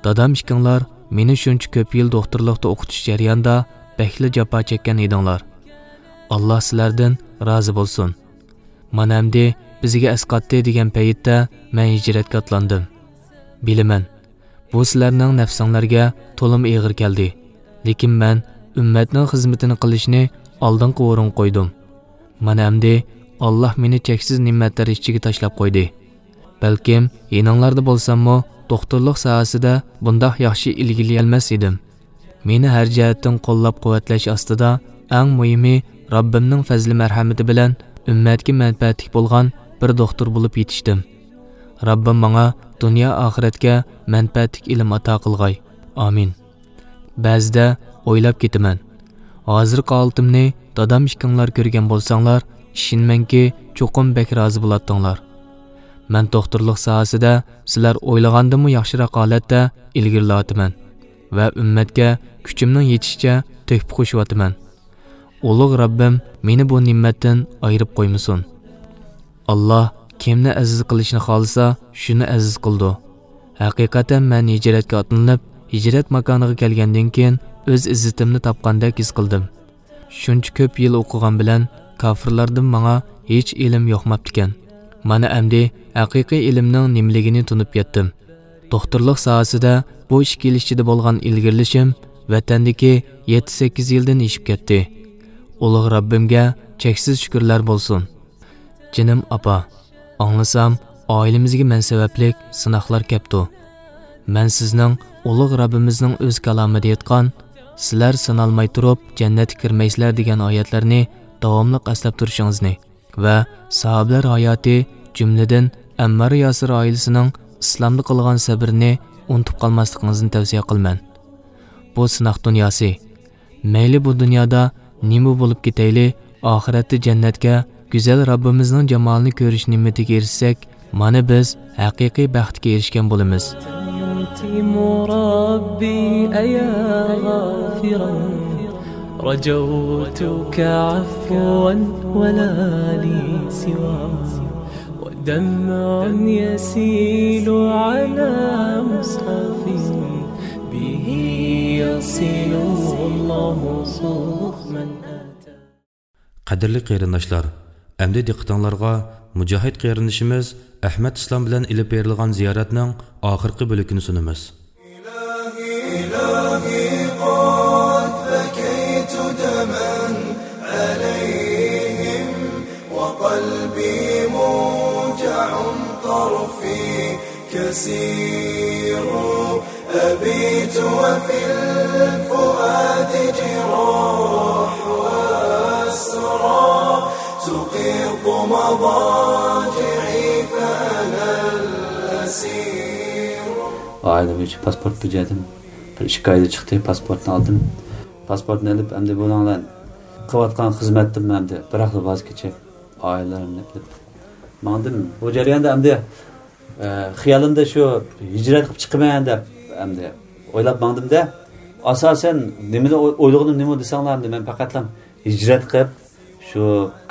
دادام ئىككىڭلار مېنى شۇنچە كۆپ يىل دوختۇرلۇقتا ئوقۇتۇش جەريانىدا بەكلا جاپا چەككەن ئىدىڭلار. ئاللاھ سىلەردىن رازى بولسۇن. مانا ئەمدى بىزگە ئەسقاتتى دېگەن پەيتتە مەن ھىجرەتكە ئاتلاندىم. بىلىمەن، بۇ سىلەرنىڭ نەپسىڭلارگە تولىمۇ ئېغىر كەلدى. لېكىن مەن ئۈممەتنىڭ خىزمىتىنى قىلىشنى ئالدىنقى ئورۇنغا قويدۇم. مانا ئەمدى ئاللاھ مېنى چەكسىز نېمەتلەر ئىچىگە تاشلاپ قويدى. بەلكىم يېنىڭلاردا بولساممۇ، دوختۇرلۇق ساھەسىدە بۇنداق ياخشى ئىلگىرىلىيەلمەس ئىدىم. مېنى ھەر جەھەتتىن قوللاپ-قۇۋۋەتلەش ئاستىدا، ئەڭ مۇھىمى، رەببىمنىڭ پەزلى-مەرھەمىتى بىلەن ئۈممەتكە مەنپەئەتلىك بولغان بىر دوختۇر بولۇپ يېتىشتىم. رەببىم ماڭا دۇنيا-ئاخىرەتكە مەنپەئەتلىك ئىلىم ئاتا قىلغاي. ئامىن. بەزىدە ئويلاپ كېتىمەن. ھازىرقى ھالىتىمنى دادام ئىككىڭلار كۆرگەن بولساڭلار، ئىشىنىمەنكى، چوقۇم بەك رازى بولاتتىڭلار. مەن دوختۇرلۇق ساھەسىدە سىلەر ئويلىغاندىنمۇ ياخشىراق ھالەتتە ئىلگىرىلەۋاتىمەن ۋە ئۈممەتكە كۈچۈمنىڭ يېتىشىچە تۆھپە قوشۇۋاتىمەن. ئۇلۇغ رەببىم مېنى بۇ نېمەتتىن ئايرىپ قويمىسۇن. ئاللاھ كىمنى ئەزىز قىلىشنى خالىسا، شۇنى ئەزىز قىلىدۇ. ھەقىقەتەن مەن ھىجرەتكە ئاتلىنىپ، ھىجرەت ماكانىغا كەلگەندىن كېيىن ئۆز ئىززىتىمنى تاپقاندەك ھېس قىلدىم. شۇنچە كۆپ يىل ئوقۇغان بىلەن كاپىرلاردىن ماڭا ھېچ ئىلىم يۇقماپتىكەن. مانا ئەمدى ھەقىقىي ئىلىمنىڭ نېمىلىكىنى تونۇپ يەتتىم. دوختۇرلۇق ساھەسىدە بۇ ئىككى يىل ئىچىدە بولغان ئىلگىرىلىشىم ۋەتەندىكى يەتتە-سەككىز يىلدىن ئېشىپ كەتتى. ئۇلۇغ رەببىمگە چەكسىز شۈكۈرلەر بولسۇن. جېنىم ئاپا، ئاڭلىسام، ئائىلىمىزگە مەن سەۋەبلىك سىناقلار كەپتۇ. مەن سىزنىڭ ئۇلۇغ رەببىمىزنىڭ ئۆز كالامىدا ئېيتقان، سىلەر سىنالماي تۇرۇپ جەننەتكە كىرمەيسىلەر دېگەن ئايەتلەرنى داۋاملىق ئەسلەپ تۇرۇشىڭىزنى ۋە ساھابىلەر ھاياتى، جۈملىدىن ئەممار ياسىر ئائىلىسىنىڭ ئىسلامدا قىلغان سەبرىنى ئۇنتۇپ قالماسلىقىڭىزنى تەۋسىيە قىلىمەن. بۇ سىناق دۇنياسى. مەيلى بۇ دۇنيادا نېمە بولۇپ كېتەيلى، ئاخىرەتتە جەننەتكە، گۈزەل رەببىمىزنىڭ جامالىنى كۆرۈش نېمىتىگە ئېرىشسەك، مانا بىز ھەقىقىي بەختكە ئېرىشكەن بولىمىز. أنت ربي أيا غافرا، رجوتك عفوا ولا لي سوى، ودمع يسيل على مصحف به يصل الله صوخ من أتى. قەدىرلىك قېرىنداشلار، ئەمدى دىققىتىڭلارغا مۇجاھىد قېرىندىشىمىز ئەھمەت ئىسلام بىلەن ئېلىپ بېرىلغان زىيارەتنىڭ ئاخىرقى بۆلىكىنى سۇنىمىز. إلهي، إلهي، قد بكيت دما عليهم، وقلبي موجع، طرفي كسير، أبيت وفي الفؤاد جراح وأسرى، تقيق مضاجعي فأنا الأسير. ئائىلە بويىچە پاسپورت بېجەردىم. بىر ئىككى ئايدا چىقتى، پاسپورتنى ئالدىم. پاسپورتنى ئېلىپ، ئەمدى بۇنىڭ بىلەن قىلىۋاتقان خىزمەتتىن ئەمدى بىراقلا ۋاز كېچىپ، ئائىلىلىرىمنى ئېلىپ ماڭدىم. بۇ جەرياندا ئەمدى، ئە، خىيالىمدا شۇ ھىجرەت قىلىپ چىقىمەن دەپ ئەمدى ئويلاپ ماڭدىم-دە. ئاساسەن نېمىنى ئوي-، ئويلىغىنىم نېمە دېسەڭلار، ئەمدى مەن پەقەتلا ھىجرەت قىلىپ، شۇ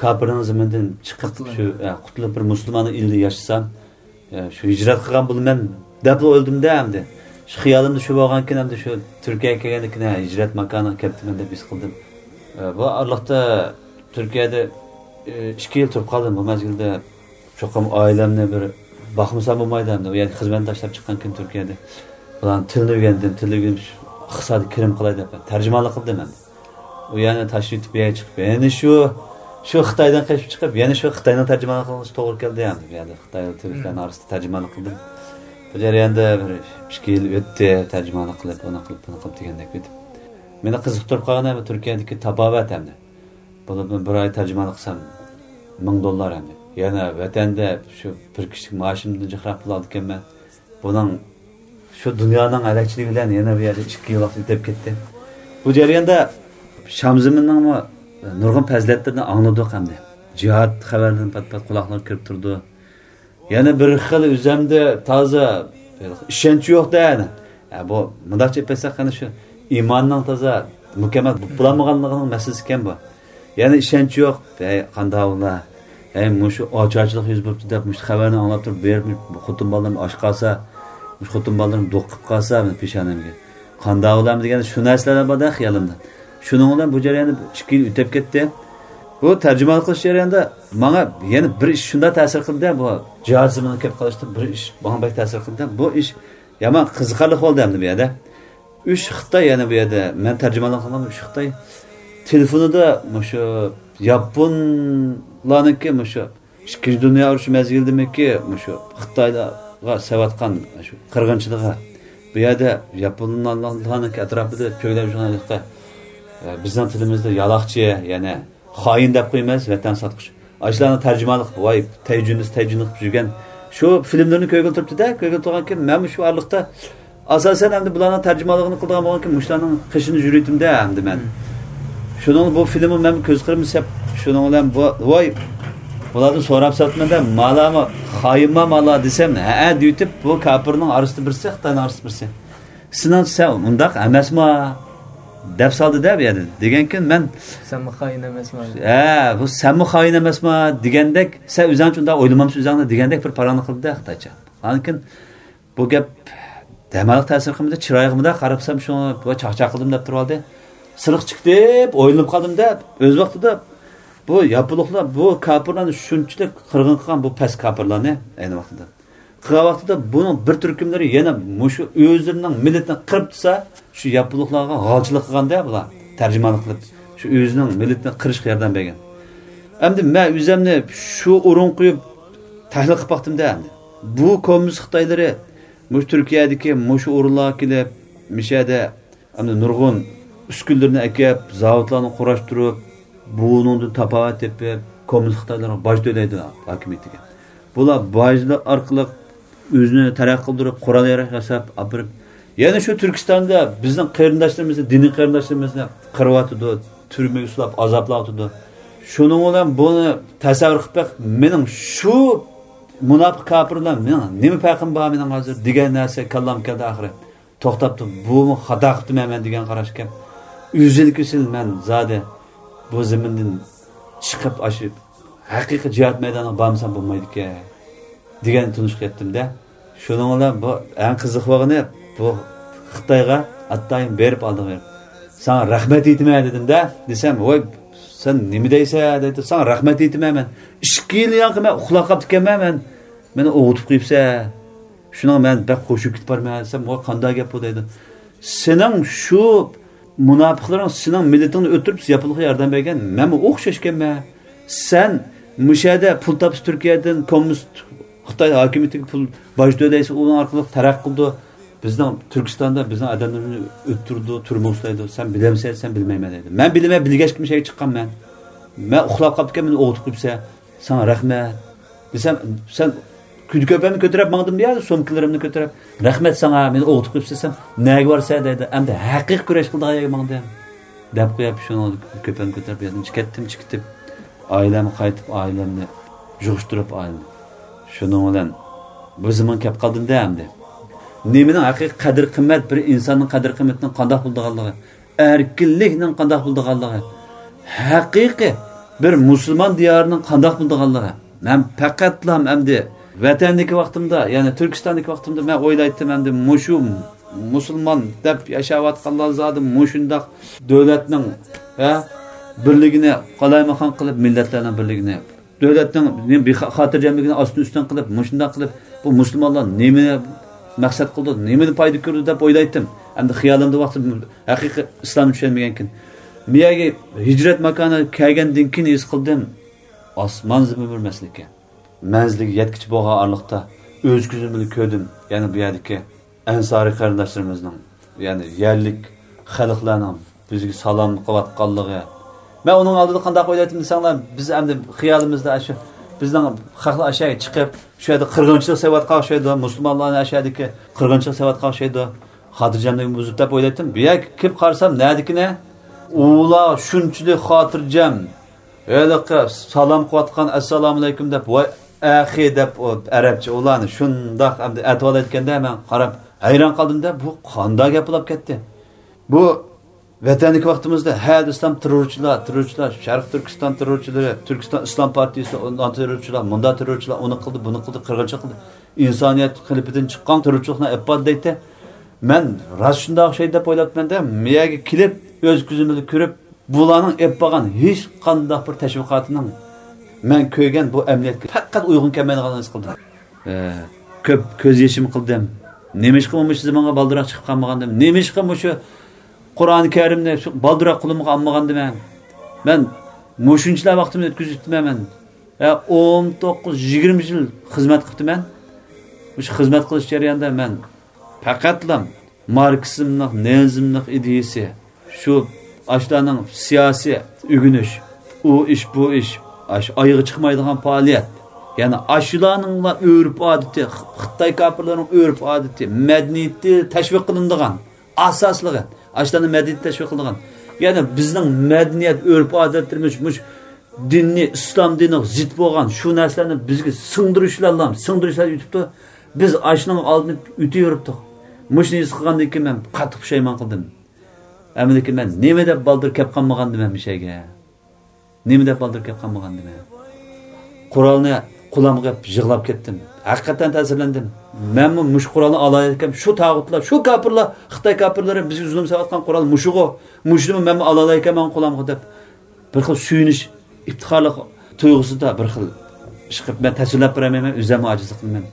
كاپىرنىڭ زېمىنىدىن چىقىپ، قۇتۇلۇش. شۇ، ئە، قۇتۇلۇپ، بىر مۇسۇلماننىڭ ئېلىدا ياشىسام، ئە، شۇ ھىجرەت قىلغان بولىمەن دەپلا ئويلىدىم-دە ئەمدى. شۇ خىيالىمدا شۇ بولغانكىن، ئەمدى شۇ تۈركىيەگە كەلگەندىن كېيىن، ھە، ھىجرەت ماكانىغا كەپتىمەن دەپ ھېس قىلدىم. ئە، بۇ ئارىلىقتا تۈركىيەدە، ئە، ئىككى يىل تۇرۇپ قالدىم. بۇ مەزگىلدە چوقۇم ئائىلەمنى بىر باقمىسام بولمايدۇ ئەمدى. ئۇ يەردە خىزمەتنى تاشلاپ چىققان كېيىن تۈركىيەدە. بۇلارنىڭ تىلىنى ئۆگەندىم، تىلىنى ئۆگىنىپ، ئىقتىسادىي كىرىم قىلاي دەپ تەرجىمانلىق قىلدىم ئەمدى. ئۇ يەرنى تاشلىۋېتىپ، بۇ يەرگە چىقىپ، يەنە شۇ، شۇ خىتايدىن قېچىپ چىقىپ، يەنە شۇ خىتاينىڭ تەرجىمانلىقى قىلىشقا توغرا كەلدى. يەنى بۇ يەردە خىتاي، تۈركلەرنىڭ ئارىسىدا تەرجىمانلىق قىلدىم. بۇ جەرياندا بىر ئىككى يىل ئۆتتى، تەرجىمانلىق قىلىپ، ئۇنى قىلىپ، بۇنى قىلىپ دېگەندەك ئۆتۈپ. مېنى قىزىقتۇرۇپ قالغىنى بۇ تۈركىيەدىكى تاپاۋەت ئەمدى. بولۇپمۇ بىر ئاي تەرجىمانلىق قىلسام، مىڭ دوللار ئەمدى. يەنە ۋەتەندە شۇ بىر كىشىلىك مائاشىمدىن جىقراق پۇل ئالىدىكەنمەن. بۇنىڭ شۇ دۇنيانىڭ ھەلەكچىلىكى بىلەن يەنە بۇ يەردە ئىككى يىل ۋاقىت ئۆتۈپ كەتتى. بۇ جەرياندا شام زېمىننىڭمۇ نۇرغۇن پەزىلەتلىرىنى ئاڭلىدۇق ئەمدى. جىھاد خەۋەرلىرىنى پات-پات قۇلاقلارغا كىرىپ تۇرىدۇ. يەنە بىر خىل ئۆزەمدە تازا ئىشەنچ يوق-دە. ھە، بۇ مۇنداقچە ئېيتساق، قېنى شۇ ئىماننىڭ تازا مۇكەممەل بولالمىغانلىقىنىڭ مەسىلىسى ئىكەن بۇ. يەنە ئىشەنچ يوق. ھەي، قانداق ئۇلار؟ ھەي، مۇشۇ ئاچارچىلىق يۈز بېرىپتۇ دەپ، مۇشۇ خەۋەرنى ئاڭلاپ تۇرۇپ، بېرىپ خوتۇن بالىلىرىم ئاچ قالسا، مۇشۇ خوتۇن بالىلىرىم دوق قىلىپ قالسا، مېنىڭ پېشانەمگە. قانداق ئۇلارمۇ دېگەن شۇ نەرسىلەر بار-دە خىيالىمدا. شۇنىڭ بىلەن بۇ جەرياندا ئىككى يىل ئۆتۈپ كەتتى. بۇ تەرجىمانلىق قىلىش جەريانىدا ماڭا يەنە بىر ئىش شۇنداق تەسىر قىلدى، بۇ جىھاد زېمىنىغا كەپ قېلىشتا بىر ئىش ماڭا بەك تەسىر قىلدى. بۇ ئىش يامان قىزىقارلىق بولدى ئەمدى بۇ يەردە. ئۈچ خىتاي، يەنە بۇ يەردە مەن تەرجىمانلىق قىلغان ئۈچ خىتاي تېلېفونىدا مۇشۇ ياپونلارنىڭكى مۇشۇ ئىككىنچى دۇنيا ئۇرۇشى مەزگىلىدىمىكى مۇشۇ خىتايلارغا سېلىۋاتقان شۇ قىرغىنچىلىقى، بۇ يەردە ياپونلارنىڭكى ئەتراپىدا چۆگىلەپ يۈرگەن، بىزنىڭ تىلىمىزدا يالاقچى، يەنى خائىن دەپ قويىمىز، ۋەتەن ساتقۇچى. ئاشۇلارنىڭ تەرجىمانلىق، ۋاي، تەيجۈنىس، تەيجۈنىس قىلىپ يۈرگەن شۇ فىلىملىرىنى كۆرگىلى تۇرۇپتۇ-دە، كۆرگىلى تۇرغانكىن، مەنمۇ شۇ ئارىلىقتا ئاساسەن ئەمدى بۇلارنىڭ تەرجىمانلىقىنى قىلىدىغان بولغانكىن، مۇشۇلارنىڭ قېشىنى يۈرۈيتتىم-دە ئەمدى مەن. شۇنىڭ بۇ فىلىممۇ مەن كۆز قىرىمدا سەپ، شۇنىڭ بىلەن بۇ، ۋاي، بۇلاردىن سوراپ ساپتىمەن-دە، مالامۇ خائىنما مالا دېسەم، ھەئە دېيىتىپ، بۇ كاپىرنىڭ ئارىسىدا بىرسى، خىتاينىڭ ئارىسىدا بىرسى. سېنىڭچە سەن ئۇنداق ئەمەسما؟ دەپ سالدى-دە بۇ يەردە. دېگەنكىن مەن، سەنمۇ خائىن ئەمەسما؟ ھە، بۇ سەنمۇ خائىن ئەمەسما؟ دېگەندەك، سەن ئۆزۈڭچە ئۇنداق ئويلىمامسەن ئۆزۈڭنى دېگەندەك بىر پاراڭنى قىلدى-دە خىتايچە. ئاندىن كېيىن بۇ گەپ دەماللىق تەسىر قىلمىدى، چىرايىغا مۇنداق قاراپسام شۇ بۇ چاقچاق قىلدىم دەپ تۇرۇۋالدى. سىرتقا چىقتى دەپ ئويلىنىپ قالدىم-دە، ئۆز ۋاقتىدا بۇ ياپونلۇقلار بۇ كاپىرلارنى شۇنچىلىك قىرغىن قىلغان، بۇ پەس كاپىرلارنى ئەينى ۋاقتىدا. قىلغان ۋاقتىدا بۇنىڭ بىر تۈركۈملىرى يەنە مۇشۇ ئۆزلىرىنىڭ مىللىتىنى قىرىپ تۇرسا، شۇ ياپونلۇقلارغا غالچىلىق قىلغاندا بۇلار تەرجىمانلىق قىلىپ، شۇ ئۆزىنىڭ مىللىتىنى قىرىشقا ياردەم بەرگەن. ئەمدى مەن ئۆزۈمنى شۇ ئورۇنغا قويۇپ تەھلىل قىلىپ باقتىم-دە ئەمدى. بۇ كوممۇنىست خىتايلىرى مۇشۇ تۈركىيەدىكى مۇشۇ ئورۇنلارغا كېلىپ، مۇشۇ يەردە ئەمدى نۇرغۇن ئۈسكۈنىلىرىنى ئەكەپ، زاۋۇتلارنى قۇراشتۇرۇپ، بۇنىڭدىن تاپاۋەت تېپىپ، كوممۇنىست خىتايلارغا باج تۆلەيدۇ ھاكىمىيىتىگە. بۇلار باجلار ئارقىلىق ئۆزىنى تەرەققىي قىلدۇرۇپ، قورال-ياراغ ياساپ ئاپىرىپ، يەنە شۇ تۈركىستاندا بىزنىڭ قېرىنداشلىرىمىزنى، دىنىي قېرىنداشلىرىمىزنى قىرىۋاتىدۇ، تۈرمىگە سولاپ ئازابلاۋاتىدۇ. شۇنىڭ بىلەن بۇنى تەسەۋۋۇر قىلىپ بېقىڭ، مېنىڭ شۇ مۇناپىق كاپىر بىلەن مېنىڭ نېمە پەرقىم بار مېنىڭ ھازىر دېگەن نەرسە كاللامغا كەلدى ئاخىرى. توختاپتۇ، بۇمۇ خاتا قىپتىمەن مەن دېگەن قاراشكەن. ئۈزۈل-كېسىل مەن زادى بۇ زېمىندىن چىقىپ، ئاشۇ ھەقىقىي جىھاد مەيدانىغا بارمىسام بولمايدىكەن دېگەن تونۇشقا يەتتىم-دە. شۇنىڭ بىلەن بۇ ئەڭ قىزىق بولغىنى، بۇ خىتايغا ئاتايىن بېرىپ، ئالدىغا بېرىپ، ساڭا رەھمەت ئېيتىمەن دېدىم-دە، دېسەم، ۋاي، سەن نېمە دەيسەن دەيدۇ، ساڭا رەھمەت ئېيتىمەن مەن. ئىككى يىل ياقى مەن ئۇخلاپ قاپتىكەنمەن مەن، مېنى ئوۋۇتۇپ قويۇپسەن. شۇنىڭ مەن بەك خوشۇپ كېتىپ بارىمەن دېسەم، ۋاي، قانداق گەپ بۇ دەيدۇ. سېنىڭ شۇ مۇناپىقلىرىڭ سېنىڭ مىللىتىڭنى ئۆلتۈرۈپ، ياپونلۇققا ياردەم بەرگەن، مەنمۇ ئوخشاش ئىكەنمەن. سەن مۇشۇ يەردە پۇل تاپسا تۈركىيەدىن، كوممۇنىست خىتاي ھاكىمىيىتىگە پۇل باج تۆلەيسەن، ئۇنىڭ ئارقىلىق تەرەققىي قىلىدۇ. بىزنىڭ تۈركىستاندا بىزنىڭ ئادەملىرىمىزنى ئۆلتۈرىدۇ، تۈرمىگە سولايدۇ. سەن بىلەمسەن دېسەم، بىلمەيمەن دەيدۇ. مەن بىلىمەن، بىلگەچكە مۇشۇ يەرگە چىققان مەن. مەن ئۇخلاپ قاپتىكەن، مېنى ئويغىتىپ قويۇپسەن. ساڭا رەھمەت دېسەم، سەن كۆپەمنى كۆتۈرۈپ ماڭدىم يا، سومكىلىرىمنى كۆتۈرۈپ. رەھمەت ساڭا، مېنى ئويغىتىپ قويۇپسەن دېسەم، نەگە بارىسەن دەيدۇ. ئەمدى ھەقىقىي كۈرەش قىلىدىغان يەرگە ماڭدىم، دەپ قويۇپ، شۇنىڭ كۆپەمنى كۆتۈرۈپ، يادىمچە كەتتىم، چىقىپ كېتىپ. ئائىلەمگە قايتىپ، ئائىلەمنى يىغىشتۇرۇپ، ئائىلىنى. شۇنىڭ بىلەن بۇ زېمىن كەپ قالدىم-دە ئەمدى. نېمىنىڭ ھەقىقىي قەدىر-قىممەت، بىر ئىنساننىڭ قەدىر-قىممىتىنىڭ قانداق بولىدىغانلىقى، ئەركىنلىكنىڭ قانداق بولىدىغانلىقى، ھەقىقىي بىر مۇسۇلمان دىيارىنىڭ قانداق بولىدىغانلىقى. مەن پەقەتلا ئەمدى ۋەتەندىكى ۋاقتىمدا، يەنى تۈركىستاندىكى ۋاقتىمدا مەن ئويلايتتىم، ئەمدى مۇشۇ مۇسۇلمان دەپ ياشاۋاتقانلار زادى مۇشۇنداق دۆلەتنىڭ، ھە، بىرلىكىنى قالايمىقان قىلىپ، مىللەتلەرنىڭ بىرلىكىنى، دۆلەتنىڭ نېمە بىخا-، خاتىرجەملىكىنى ئاستىن ئۈستۈن قىلىپ، مۇشۇنداق قىلىپ، بۇ مۇسۇلمانلار نېمىنى مەقسەت قىلدى، نېمىنى پايدا كۆردى دەپ ئويلايتتىم. ئەمدى خىيالىمدا ۋاقتىدا ھەقىقىي ئىسلامنى چۈشەنمىگەنكىن. بۇ يەرگە ھىجرەت ماكانىغا كەلگەندىن كېيىن ھېس قىلدىم، ئاسمان زېمىن بىر مەسىلە ئىكەن. مەنزىلگە يەتكۈچە بولغان ئارىلىقتا ئۆز كۆزۈم بىلەن كۆردۈم، يەنى بۇ يەردىكى ئەنسارىي قېرىنداشلىرىمىزنىڭ، يەنى يەرلىك خەلقلەرنىڭ بىزگە سالام قىلىۋاتقانلىقى. مەن ئۇنىڭ ئالدىدا قانداق ئويلايتتىم دېسەڭلار، بىز ئەمدى خىيالىمىزدا شۇ بىزنىڭ خەقلەر ئاشۇ يەرگە چىقىپ، شۇ يەردە قىرغىنچىلىق سېلىۋاتقان ئوخشايدۇ، مۇسۇلمانلارنى ئاشۇ يەردىكى قىرغىنچىلىق سېلىۋاتقان ئوخشايدۇ، خاتىرجەملىكىمنى بۇزۇپ دەپ ئويلايتتىم. بۇ يەرگە كېلىپ قارىسام، نەدىكىنى ئۇلار شۇنچىلىك خاتىرجەم، ھېلىقى سالام قىلىۋاتقان، ئەسسالامۇئەلەيكۇم دەپ، ۋاي ئەخى دەپ، ئۇ ئەرەبچە ئۇلارنى شۇنداق ئەمدى ئەتىۋالايدىكەندە، مەن قاراپ ھەيران قالدىمدە، بۇ قانداق گەپ بولاپ كەتتى؟ بۇ ۋەتەندىكى ۋاقتىمىزدا ھە دېسەم، تېررورچىلار، تېررورچىلار، شەرقىي تۈركىستان تېررورچىلىرى، تۈركىستان ئىسلام پارتىيىسى، ئۇنداق تېررورچىلار، مۇنداق تېررورچىلار، ئۇنى قىلدى، بۇنى قىلدى، قىرغىنچىلىق قىلدى، ئىنسانىيەت قېلىپىدىن چىققان تېررورچىلىقنى ئېلىپ باردى دەيتتى. مەن راست شۇنداق ئوخشايدۇ دەپ ئويلاپتىمەن-دە، مۇ يەرگە كېلىپ، ئۆز كۆزۈم بىلەن كۆرۈپ، بۇلارنىڭ ئېلىپ بارغان ھېچقانداق بىر تەشۋىقاتىنىڭ مەن كۆرگەن بۇ ئەمەلىيەتكە پەقەت ئۇيغۇن كەلمەيدىغانلىقىنى ھېس قىلدىم. ئە، كۆپ كۆز يېشىم قىلدىم. نېمىشقا مۇشۇ زېمىنغا بالدۇرراق چىقىپ قالمىغاندىم؟ نېمىشقا مۇشۇ قۇرئان كەرىمنى شۇ بالدۇرراق قولۇمغا ئالمىغاندىمەن؟ مەن مۇشۇنچىلا ۋاقتىمنى ئۆتكۈزۈپتىمەن مەن. ھە، ئون توققۇز، يىگىرمە يىل خىزمەت قىپتىمەن. مۇشۇ خىزمەت قىلىش جەريانىدا مەن پەقەتلا ماركسىزملىق، لېنىنىزملىق ئىدىيىسى، شۇ ئاشۇلارنىڭ سىياسىي ئۆگىنىش، ئۇ ئىش، بۇ ئىش، ئاش-، ئايىغى چىقمايدىغان پائالىيەت، يەنى ئاشۇلارنىڭلا ئۆرپ-ئادىتى، خىتاي كاپىرلىرىنىڭ ئۆرپ-ئادىتى، مەدەنىيىتى تەشۋىق قىلىنىدىغان، ئاساسلىقى، ئاشۇلارنىڭ مەدەنىيىتى تەشۋىق قىلىنىدىغان. يەنى بىزنىڭ مەدەنىيەت، ئۆرپ-ئادەتلىرىمىز مۇشۇ دىننى، ئىسلام دىنىغا زىت بولغان شۇ نەرسىلەرنى بىزگە سىڭدۈرۈشلەرلا، سىڭدۈرۈشلەر ئۆتۈپتۇ. بىز ئاشۇنىڭ ئالدىنى ئۆتۈۋېرىپتۇق. مۇشۇنى ھېس قىلغاندىن كېيىن مەن قاتتىق پۇشايمان قىلدىم. ئەمدىكى مەن نېمە دەپ بالدۇر كەپ قالمىغاندىمەن مۇشۇ يەرگە؟ نېمە دەپ بالدۇر كەپ قالمىغاندىمەن؟ قورالنى قولۇمغا ئېلىپ يىغلاپ كەتتىم. ھەقىقەتەن تەسىرلەندىم. مەنمۇ مۇشۇ قورالنى ئالالايكەنمەن، شۇ تاغۇتلار، شۇ كاپىرلار، خىتاي كاپىرلىرى بىزگە زۇلۇم سېلىۋاتقان قورال مۇشۇغۇ. مۇشۇنىمۇ مەنمۇ ئالالايكەنمەن قولۇمغا دەپ، بىر خىل سۆيۈنۈش، ئىپتىخارلىق تۇيغۇسىدا بىر خىل ئىش قىلىپ، مەن تەسۋىرلەپ بېرەلمەيمەن، ئۆزۈممۇ ئاجىزلىق قىلىمەن.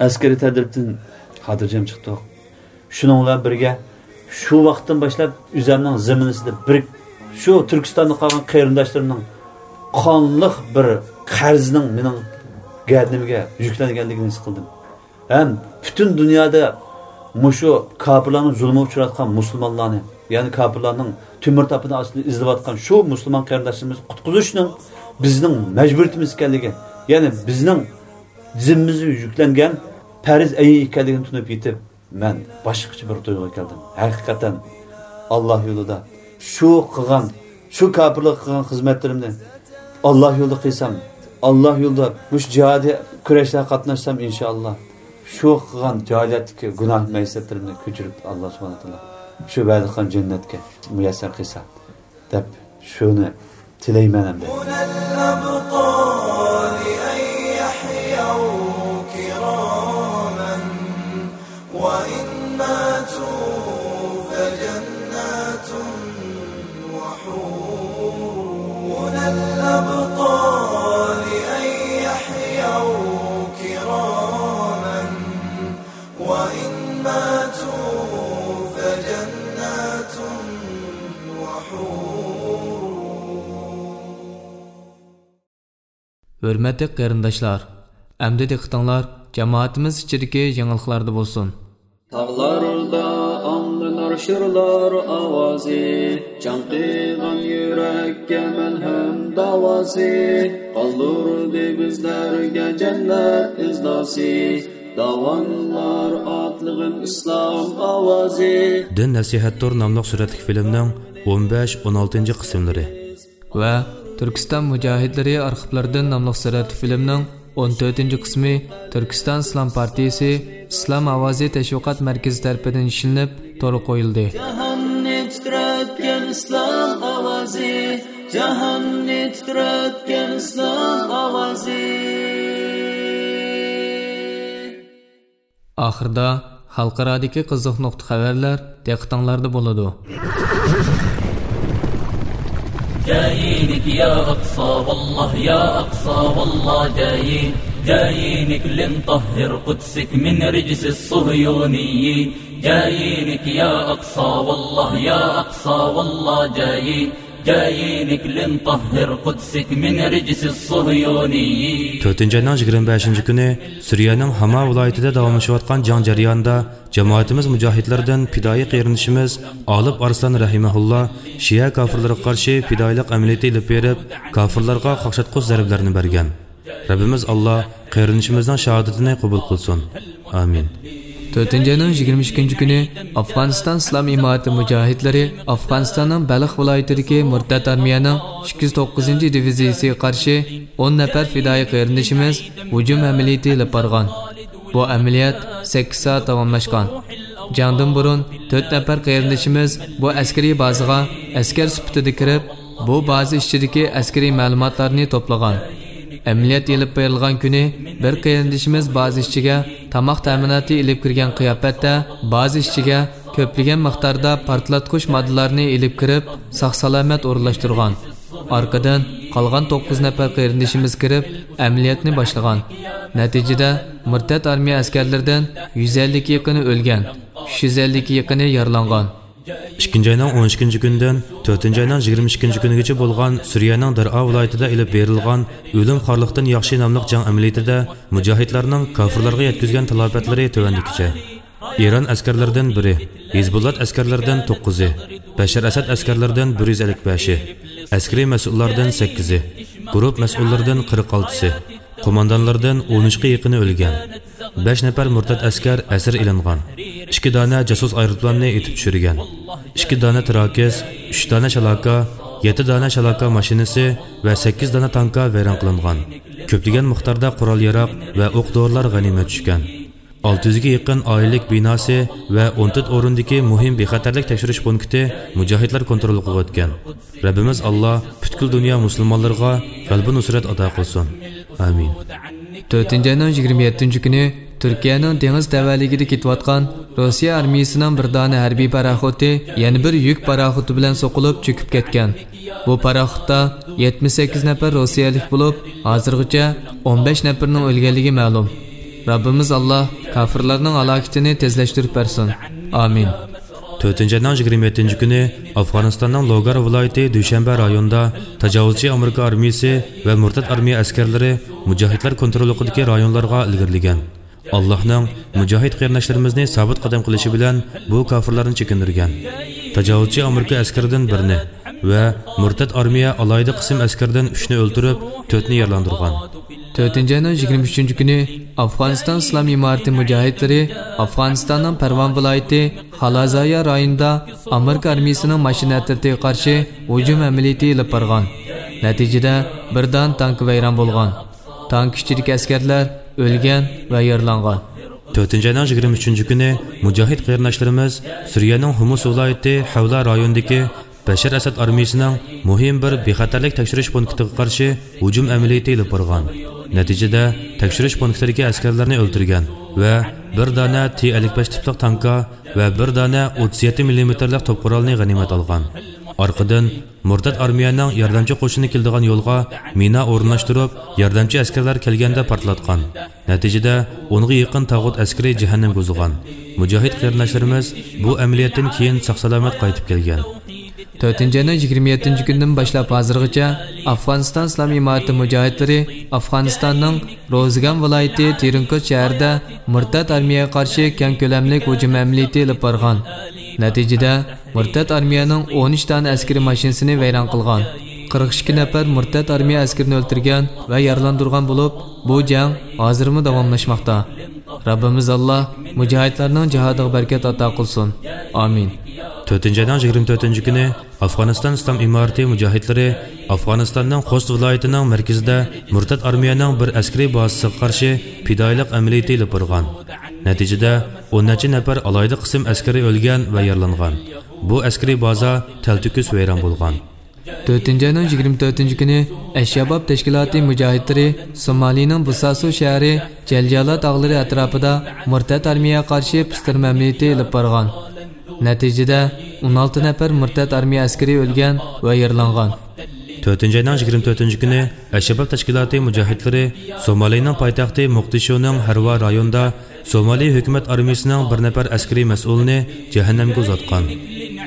ئەسكىرىي تەدرىپتىن خاتىرجەم چىقتۇق. شۇنىڭ بىلەن بىرگە، شۇ ۋاقىتتىن باشلاپ ئۆزۈمنىڭ زېمىنىسىدا بىر، شۇ تۈركىستاندا قالغان قېرىنداشلىرىمنىڭ قانلىق بىر قەرزىنىڭ مېنىڭ گەدىنىمگە يۈكلەنگەنلىكىنى ھېس قىلدىم. ھەم پۈتۈن دۇنيادا مۇشۇ كاپىرلارنىڭ زۇلمىغا ئۇچراۋاتقان مۇسۇلمانلارنى، يەنى كاپىرلارنىڭ تۆمۈر تاپىنى ئاستىدا ئېزىلىۋاتقان شۇ مۇسۇلمان قېرىنداشلىرىمىزنى قۇتقۇزۇشنىڭ بىزنىڭ مەجبۇرىيىتىمىز ئىكەنلىكى، يەنى بىزنىڭ زىممىمىزگە يۈكلەنگەن پەرز ئەينى ئىكەنلىكىنى تونۇپ يېتىپ، مەن باشقىچە بىر تۇيغۇغا كەلدىم. ھەقىقەتەن، ئاللا يولىدا شۇ قىلغان، شۇ كاپىرلارغا قىلغان خىزمەتلىرىمنى ئاللا يولىدا قىلسام، ئاللا يولىدا مۇشۇ جىھادىي كۈرەشلەرگە قاتناشسام، ئىنشائاللا، شۇ قىلغان جاھىلىيەتتىكى گۇناھ مەئسىيەتلىرىمنى كۆچۈرۈپ، ئاللا سۇبھانەھۇ ۋە تائالا شۇ ۋەدە قىلغان جەننەتكە مۇيەسسەر قىلسا، دەپ شۇنى تىلەيمەن ئەمدى. هنا الأبطال أن يحيوا كراما، وإن ماتوا فجنات وحور. هنا الأبطال أن يحيوا كراما، وإن ماتوا فجنات وحور. ھۆرمەتلىك قېرىنداشلار، ئەمدى دىققىتىڭلار جامائىتىمىز ئىچىدىكى يېڭىلىقلاردا بولسۇن. تاغلار شىرلار ئاۋازى، چاڭقىغان يۈرەككە مەلھەم داۋاسى، قالدۇردى بىزلەرگە جەننەت ئىزناسى. داۋانلار ئاتلىغىن ئىسلام ئاۋازى. دىن نەسىھەتتۇر ناملىق سۈرەتلىك فىلىمنىڭ ئون بەش، ئون ئالتىنچى قىسىملىرى. ۋە تۈركىستان مۇجاھىدلىرى ئارخىپلىرىدىن ناملىق سۈرەتلىك فىلىمنىڭ ئون تۆتىنچى قىسمى تۈركىستان ئىسلام پارتىيىسى ئىسلام ئاۋازى تەشۋىقات مەركىزى تەرىپىدىن ئىشلىنىپ تورغا قويۇلدى. جاھاننى تىترەتكەن ئىسلام ئاۋازى، جاھاننى تىترەتكەن ئىسلام ئاۋازى. ئاخىردا خەلقئارادىكى قىزىق نۇقتا خەۋەرلەر دىققىتىڭلاردا بولىدۇ. جايىنك يا أقصى والله، يا أقصى والله جايين، جايينك لنطهر قدسك من رجس الصهيونيين. جايينك يا أقصى والله، يا أقصى والله جايين، جايينك لنطهر قدسك من رجس الصهيونيين. تۆتىنچى ئاينىڭ يىگىرمە بەشىنچى كۈنى سۈرىيەنىڭ ھاما ۋىلايىتىدە داۋاملىشىۋاتقان جەڭ جەريانىدا جامائىتىمىز مۇجاھىدلىرىدىن پىدائىي قېرىندىشىمىز ئالىپ ئارسلان رەھىمەھۇللا شىئە كافىرلىرىغا قارشى پىدائىيلىق ئەمەلىيىتى ئېلىپ بېرىپ، كافىرلارغا قاقشاتقۇچ زەربىلەرنى بەرگەن. رەببىمىز ئاللا قېرىندىشىمىزنىڭ شاھادىتىنى قوبۇل قىلسۇن. ئامىن. تۆتىنچى ئاينىڭ يىگىرمە ئىككىنچى كۈنى ئافغانىستان ئىسلام ئىمارىتى مۇجاھىدلىرى ئافغانىستاننىڭ بەلخ ۋىلايىتىدىكى مۇرتەت ئارمىيەنىڭ ئىككى يۈز توققۇزىنچى دىۋىزىيىسىگە قارشى ئون نەپەر پىدائىي قېرىندىشىمىز ھۇجۇم ئەمەلىيىتى ئېلىپ بارغان. بۇ ئەمەلىيەت سەككىز سائەت داۋاملاشقان. جەڭدىن بۇرۇن تۆت نەپەر قېرىندىشىمىز بۇ ئەسكىرىي بازىغا ئەسكەر سۈپىتىدە كىرىپ، بۇ بازا ئىچىدىكى ئەسكىرىي مەلۇماتلارنى توپلىغان. ئەمەلىيەت ئېلىپ بېرىلغان كۈنى بىر قېرىندىشىمىز بازا ئىچىگە تاماق تەمىناتى ئېلىپ كىرگەن قىياپەتتە بازا ئىچىگە كۆپلىگەن مىقداردا پارتلاتقۇچ ماددىلارنى ئېلىپ كىرىپ، ساق-سالامەت ئورۇنلاشتۇرغان. ئارقىدىن قالغان توققۇز نەپەر قېرىندىشىمىز كىرىپ، ئەمەلىيەتنى باشلىغان. نەتىجىدە، مۇرتەت ئارمىيە ئەسكەرلىرىدىن يۈز ئەللىككە يېقىنى ئۆلگەن، ئۈچ يۈز ئەللىككە يېقىنى يارىلانغان. ئىككىنچى ئاينىڭ ئون ئىككىنچى كۈنىدىن تۆتىنچى ئاينىڭ يىگىرمە ئىككىنچى كۈنىگىچە بولغان سۈرىيەنىڭ دەرئا ۋىلايىتىدە ئېلىپ بېرىلغان ئۆلۈم خارلىقتىن ياخشى ناملىق جەڭ ئەمەلىيىتىدە مۇجاھىدلارنىڭ كافىرلارغا يەتكۈزگەن تالاپەتلىرى تۆۋەندىكىچە. ئىران ئەسكەرلىرىدىن بىرى، ھېزبۇللات ئەسكەرلىرىدىن توققۇزى، بەشار ئەسەد ئەسكەرلىرىدىن بىر يۈز ئەللىك بەشى، ئەسكىرىي مەسئۇللاردىن سەككىزى، گۇرۇپ مەسئۇللىرىدىن قىرىق ئالتىسى، قوماندانلىرىدىن ئون ئۈچكە يېقىنى ئۆلگەن. بەش نەپەر مۇرتەت ئەسكەر ئەسىر ئېلىنغان. ئىككى دانە جاسۇس ئايروپىلاننى ئېتىپ چۈشۈرگەن. ئىككى دانە تىراكىس، ئۈچ دانە شالاكا، يەتتە دانە شالاكا ماشىنىسى ۋە سەككىز دانە تانكا ۋەيران قىلىنغان. كۆپلىگەن مىقداردا قورال-ياراغ ۋە ئوق-دورىلار غەنىيمەت چۈشكەن. ئالتە يۈزگە يېقىن ئائىلىلىك بىناسى ۋە ئون تۆت ئورۇندىكى مۇھىم بىخەتەرلىك تەكشۈرۈش پونكىتى مۇجاھىدلار كونتروللۇقىغا ئۆتكەن. رەببىمىز ئاللا پۈتكۈل دۇنيا مۇسۇلمانلىرىغا غەلىبە نۇسرەت ئاتا قىلسۇن. ئامىن. تۆتىنچى ئاينىڭ يىگىرمە يەتتىنچى كۈنى تۈركىيەنىڭ دېڭىز تەۋەلىكىدە كېتىۋاتقان روسىيە ئارمىيىسىنىڭ بىر دانە ھەربىي پاراخوتى يەنە بىر يۈك پاراخوتى بىلەن سوقۇلۇپ چۆكۈپ كەتكەن. بۇ پاراخوتتا يەتمىش سەككىز نەپەر روسىيەلىك بولۇپ، ھازىرغىچە ئون بەش نەپىرىنىڭ ئۆلگەنلىكى مەلۇم. رەببىمىز ئاللا كافىرلارنىڭ ھالاكىتىنى تېزلەشتۈرۈپ بەرسۇن. ئامىن. تۆتىنچى ئاينىڭ يىگىرمە يەتتىنچى كۈنى ئافغانىستاننىڭ لوگار ۋىلايىتى دۈشەنبە رايونىدا تاجاۋۇزچى ئامېرىكا ئارمىيىسى ۋە مۇرتەت ئارمىيە ئەسكەرلىرى مۇجاھىدلار كونتروللۇقىدىكى رايونلارغا ئىلگىرىلىگەن. ئاللاھنىڭ مۇجاھىد قېرىنداشلىرىمىزنى سابىت قەدەم قىلىشى بىلەن بۇ كافىرلارنى چېكىندۈرگەن. تاجاۋۇزچى ئامېرىكا ئەسكىرىدىن بىرنى ۋە مۇرتەت ئارمىيە ئالاھىدە قىسىم ئەسكىرىدىن ئۈچنى ئۆلتۈرۈپ، تۆتنى يارىلاندۇرغان. تۆتىنچى ئاينىڭ يىگىرمە ئۈچىنچى كۈنى ئافغانىستان ئىسلام ئىمارىتى مۇجاھىدلىرى ئافغانىستاننىڭ پەرۋان ۋىلايىتى خالازايا رايونىدا ئامېرىكا ئارمىيىسىنىڭ ماشىنا ئەترىتىگە قارشى ھۇجۇم ئەمەلىيىتى ئېلىپ بارغان. نەتىجىدە، بىر دانە تانكا ۋەيران بولغان. تانكا ئىچىدىكى ئەسكەرلەر ئۆلگەن ۋە يارىلانغان. تۆتىنچى ئاينىڭ يىگىرمە ئۈچىنچى كۈنى مۇجاھىد قېرىنداشلىرىمىز سۈرىيەنىڭ ھۇمۇس ۋىلايىتى ھەۋلا رايونىدىكى بەشار ئەسەد ئارمىيىسىنىڭ مۇھىم بىر بىخەتەرلىك تەكشۈرۈش پونكىتىغا قارشى ھۇجۇم ئەمەلىيىتى ئېلىپ بارغان. نەتىجىدە، تەكشۈرۈش پونكىتىدىكى ئەسكەرلەرنى ئۆلتۈرگەن ۋە بىر دانە تى ئەللىك بەش تىپلىق تانكا ۋە بىر دانە ئوتتۇز يەتتە مىللىمېتىرلىق توپ قورالنى غەنىيمەت ئالغان. ئارقىدىن، مۇرتەت ئارمىيەنىڭ ياردەمچى قوشۇنى كېلىدىغان يولغا مىنا ئورۇنلاشتۇرۇپ، ياردەمچى ئەسكەرلەر كەلگەندە پارتلاتقان. نەتىجىدە، ئونغا يېقىن تاغۇت ئەسكىرى جەھەننەمگە ئۇزىغان. مۇجاھىد قېرىنداشلىرىمىز بۇ ئەمەلىيەتتىن كېيىن ساق-سالامەت قايتىپ كەلگەن. تۆتىنچى ئاينىڭ يىگىرمە يەتتىنچى كۈنىدىن باشلاپ ھازىرغىچە ئافغانىستان ئىسلام ئىمارىتى مۇجاھىدلىرى ئافغانىستاننىڭ روزىگان ۋىلايىتى تېرىنكوت شەھىرىدە مۇرتەت ئارمىيەگە قارشى كەڭ كۆلەملىك ھۇجۇم ئەمەلىيىتى ئېلىپ بارغان. نەتىجىدە، مۇرتەت ئارمىيەنىڭ ئون ئۈچ دانە ئەسكىرىي ماشىنىسىنى ۋەيران قىلغان. قىرىق ئىككى نەپەر مۇرتەت ئارمىيە ئەسكىرىنى ئۆلتۈرگەن ۋە يارىلاندۇرغان بولۇپ، بۇ جەڭ ھازىرمۇ داۋاملاشماقتا. رەببىمىز ئاللا مۇجاھىدلارنىڭ جىھادىغا بەرىكەت ئاتا قىلسۇن. ئامىن. تۆتىنچى ئاينىڭ يىگىرمە تۆتىنچى كۈنى ئافغانىستان ئىسلام ئىمارىتى مۇجاھىدلىرى ئافغانىستاننىڭ خوست ۋىلايىتىنىڭ مەركىزىدە مۇرتەت ئارمىيەنىڭ بىر ئەسكىرىي بازىسىغا قارشى پىدائىيلىق ئەمەلىيىتى ئېلىپ بارغان. نەتىجىدە، ئون نەچچە نەپەر ئالاھىدە قىسىم ئەسكىرى ئۆلگەن ۋە يارىلانغان. بۇ ئەسكىرىي بازا تەلتۆكۈس ۋەيران بولغان. تۆتىنچى ئاينىڭ يىگىرمە تۆتىنچى كۈنى ئەششەباب تەشكىلاتى مۇجاھىدلىرى سومالىنىڭ بۇساسو شەھىرى جەلجالا تاغلىرى ئەتراپىدا مۇرتەت ئارمىيەگە قارشى پىستىرما ئەمەلىيىتى ئېلىپ بارغان. نەتىجىدە، ئون ئالتە نەپەر مۇرتەت ئارمىيە ئەسكىرى ئۆلگەن ۋە يارىلانغان. تۆتىنچى ئاينىڭ يىگىرمە تۆتىنچى كۈنى ئەششەباب تەشكىلاتى مۇجاھىدلىرى سومالىنىڭ پايتەختى موقدىشونىڭ ھەرۋا رايونىدا سومالى ھۆكۈمەت ئارمىيىسىنىڭ بىر نەپەر ئەسكىرىي مەسئۇلىنى جەھەننەمگە ئۇزاتقان.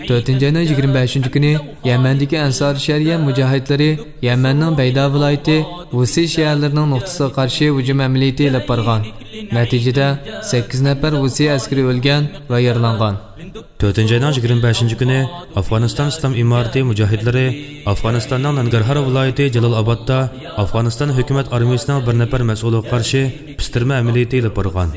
تۆتىنچى ئاينىڭ يىگىرمە بەشىنچى كۈنى يەمەندىكى ئەنسارى شەرىئە مۇجاھىدلىرى يەمەننىڭ بەيدا ۋىلايىتى ۋۇسى شەھەرلىرىنىڭ نۇقتىسىغا قارشى ھۇجۇم ئەمەلىيىتى ئېلىپ بارغان. نەتىجىدە، سەككىز نەپەر ۋۇسى ئەسكىرى ئۆلگەن ۋە يارىلانغان. تۆتىنچى ئاينىڭ يىگىرمە بەشىنچى كۈنى ئافغانىستان ئىسلام ئىمارىتى مۇجاھىدلىرى ئافغانىستاننىڭ نانگارھار ۋىلايىتى جالال ئابادتا ئافغانىستان ھۆكۈمەت ئارمىيىسىنىڭ بىر نەپەر مەسئۇلىغا قارشى پىستىرما ئەمەلىيىتى ئېلىپ بارغان.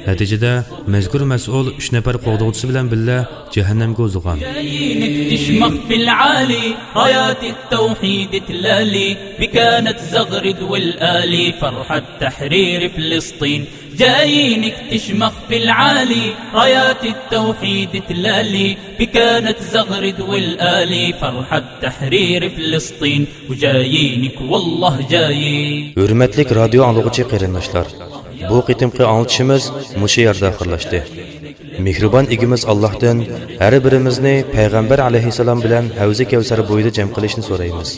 نەتىجىدە، مەزكۇر مەسئۇل ئۈچ نەپەر قوغدىغۇچىسى بىلەن بىللە جەھەننەمگە ئۇزىغان. جاييين اكتشمخ في العالي، رايات التوحيد تلالي، بكانت زغرد والآلي، فرحة تحرير فلسطين. جاييين اكتشمخ في العالي، رايات التوحيد تلالي، بكانت زغرد والآلي، فرحة تحرير فلسطين. وجايينك والله جايين. ھۆرمەتلىك رادىيو ئاڭلىغۇچى قېرىنداشلار، بۇ قېتىمقى ئاڭلىتىشىمىز مۇشۇ يەردە ئاخىرلاشتى. مېھرىبان ئىگىمىز ئاللاھتىن ھەر بىرىمىزنى پەيغەمبەر ئەلەيھىسسالام بىلەن ھەۋزى كەۋسەر بويىدا جەم قىلىشنى سورايمىز.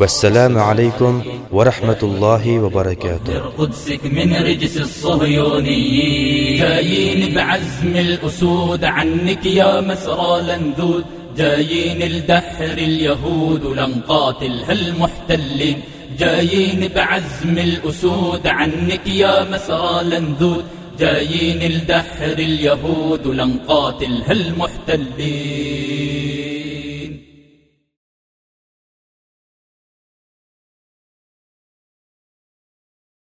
والسلام عليكم ورحمة الله وبركاته. قدسك من رجس الصهيونيين. جايين بعزم الأسود عنك يا مسرى لندود. جايين لدحر اليهود ولنقاتلها المحتلين. جايين بعزم الأسود عنك يا مسرى لندود. جايين لدحر اليهود ولنقاتلها المحتلين.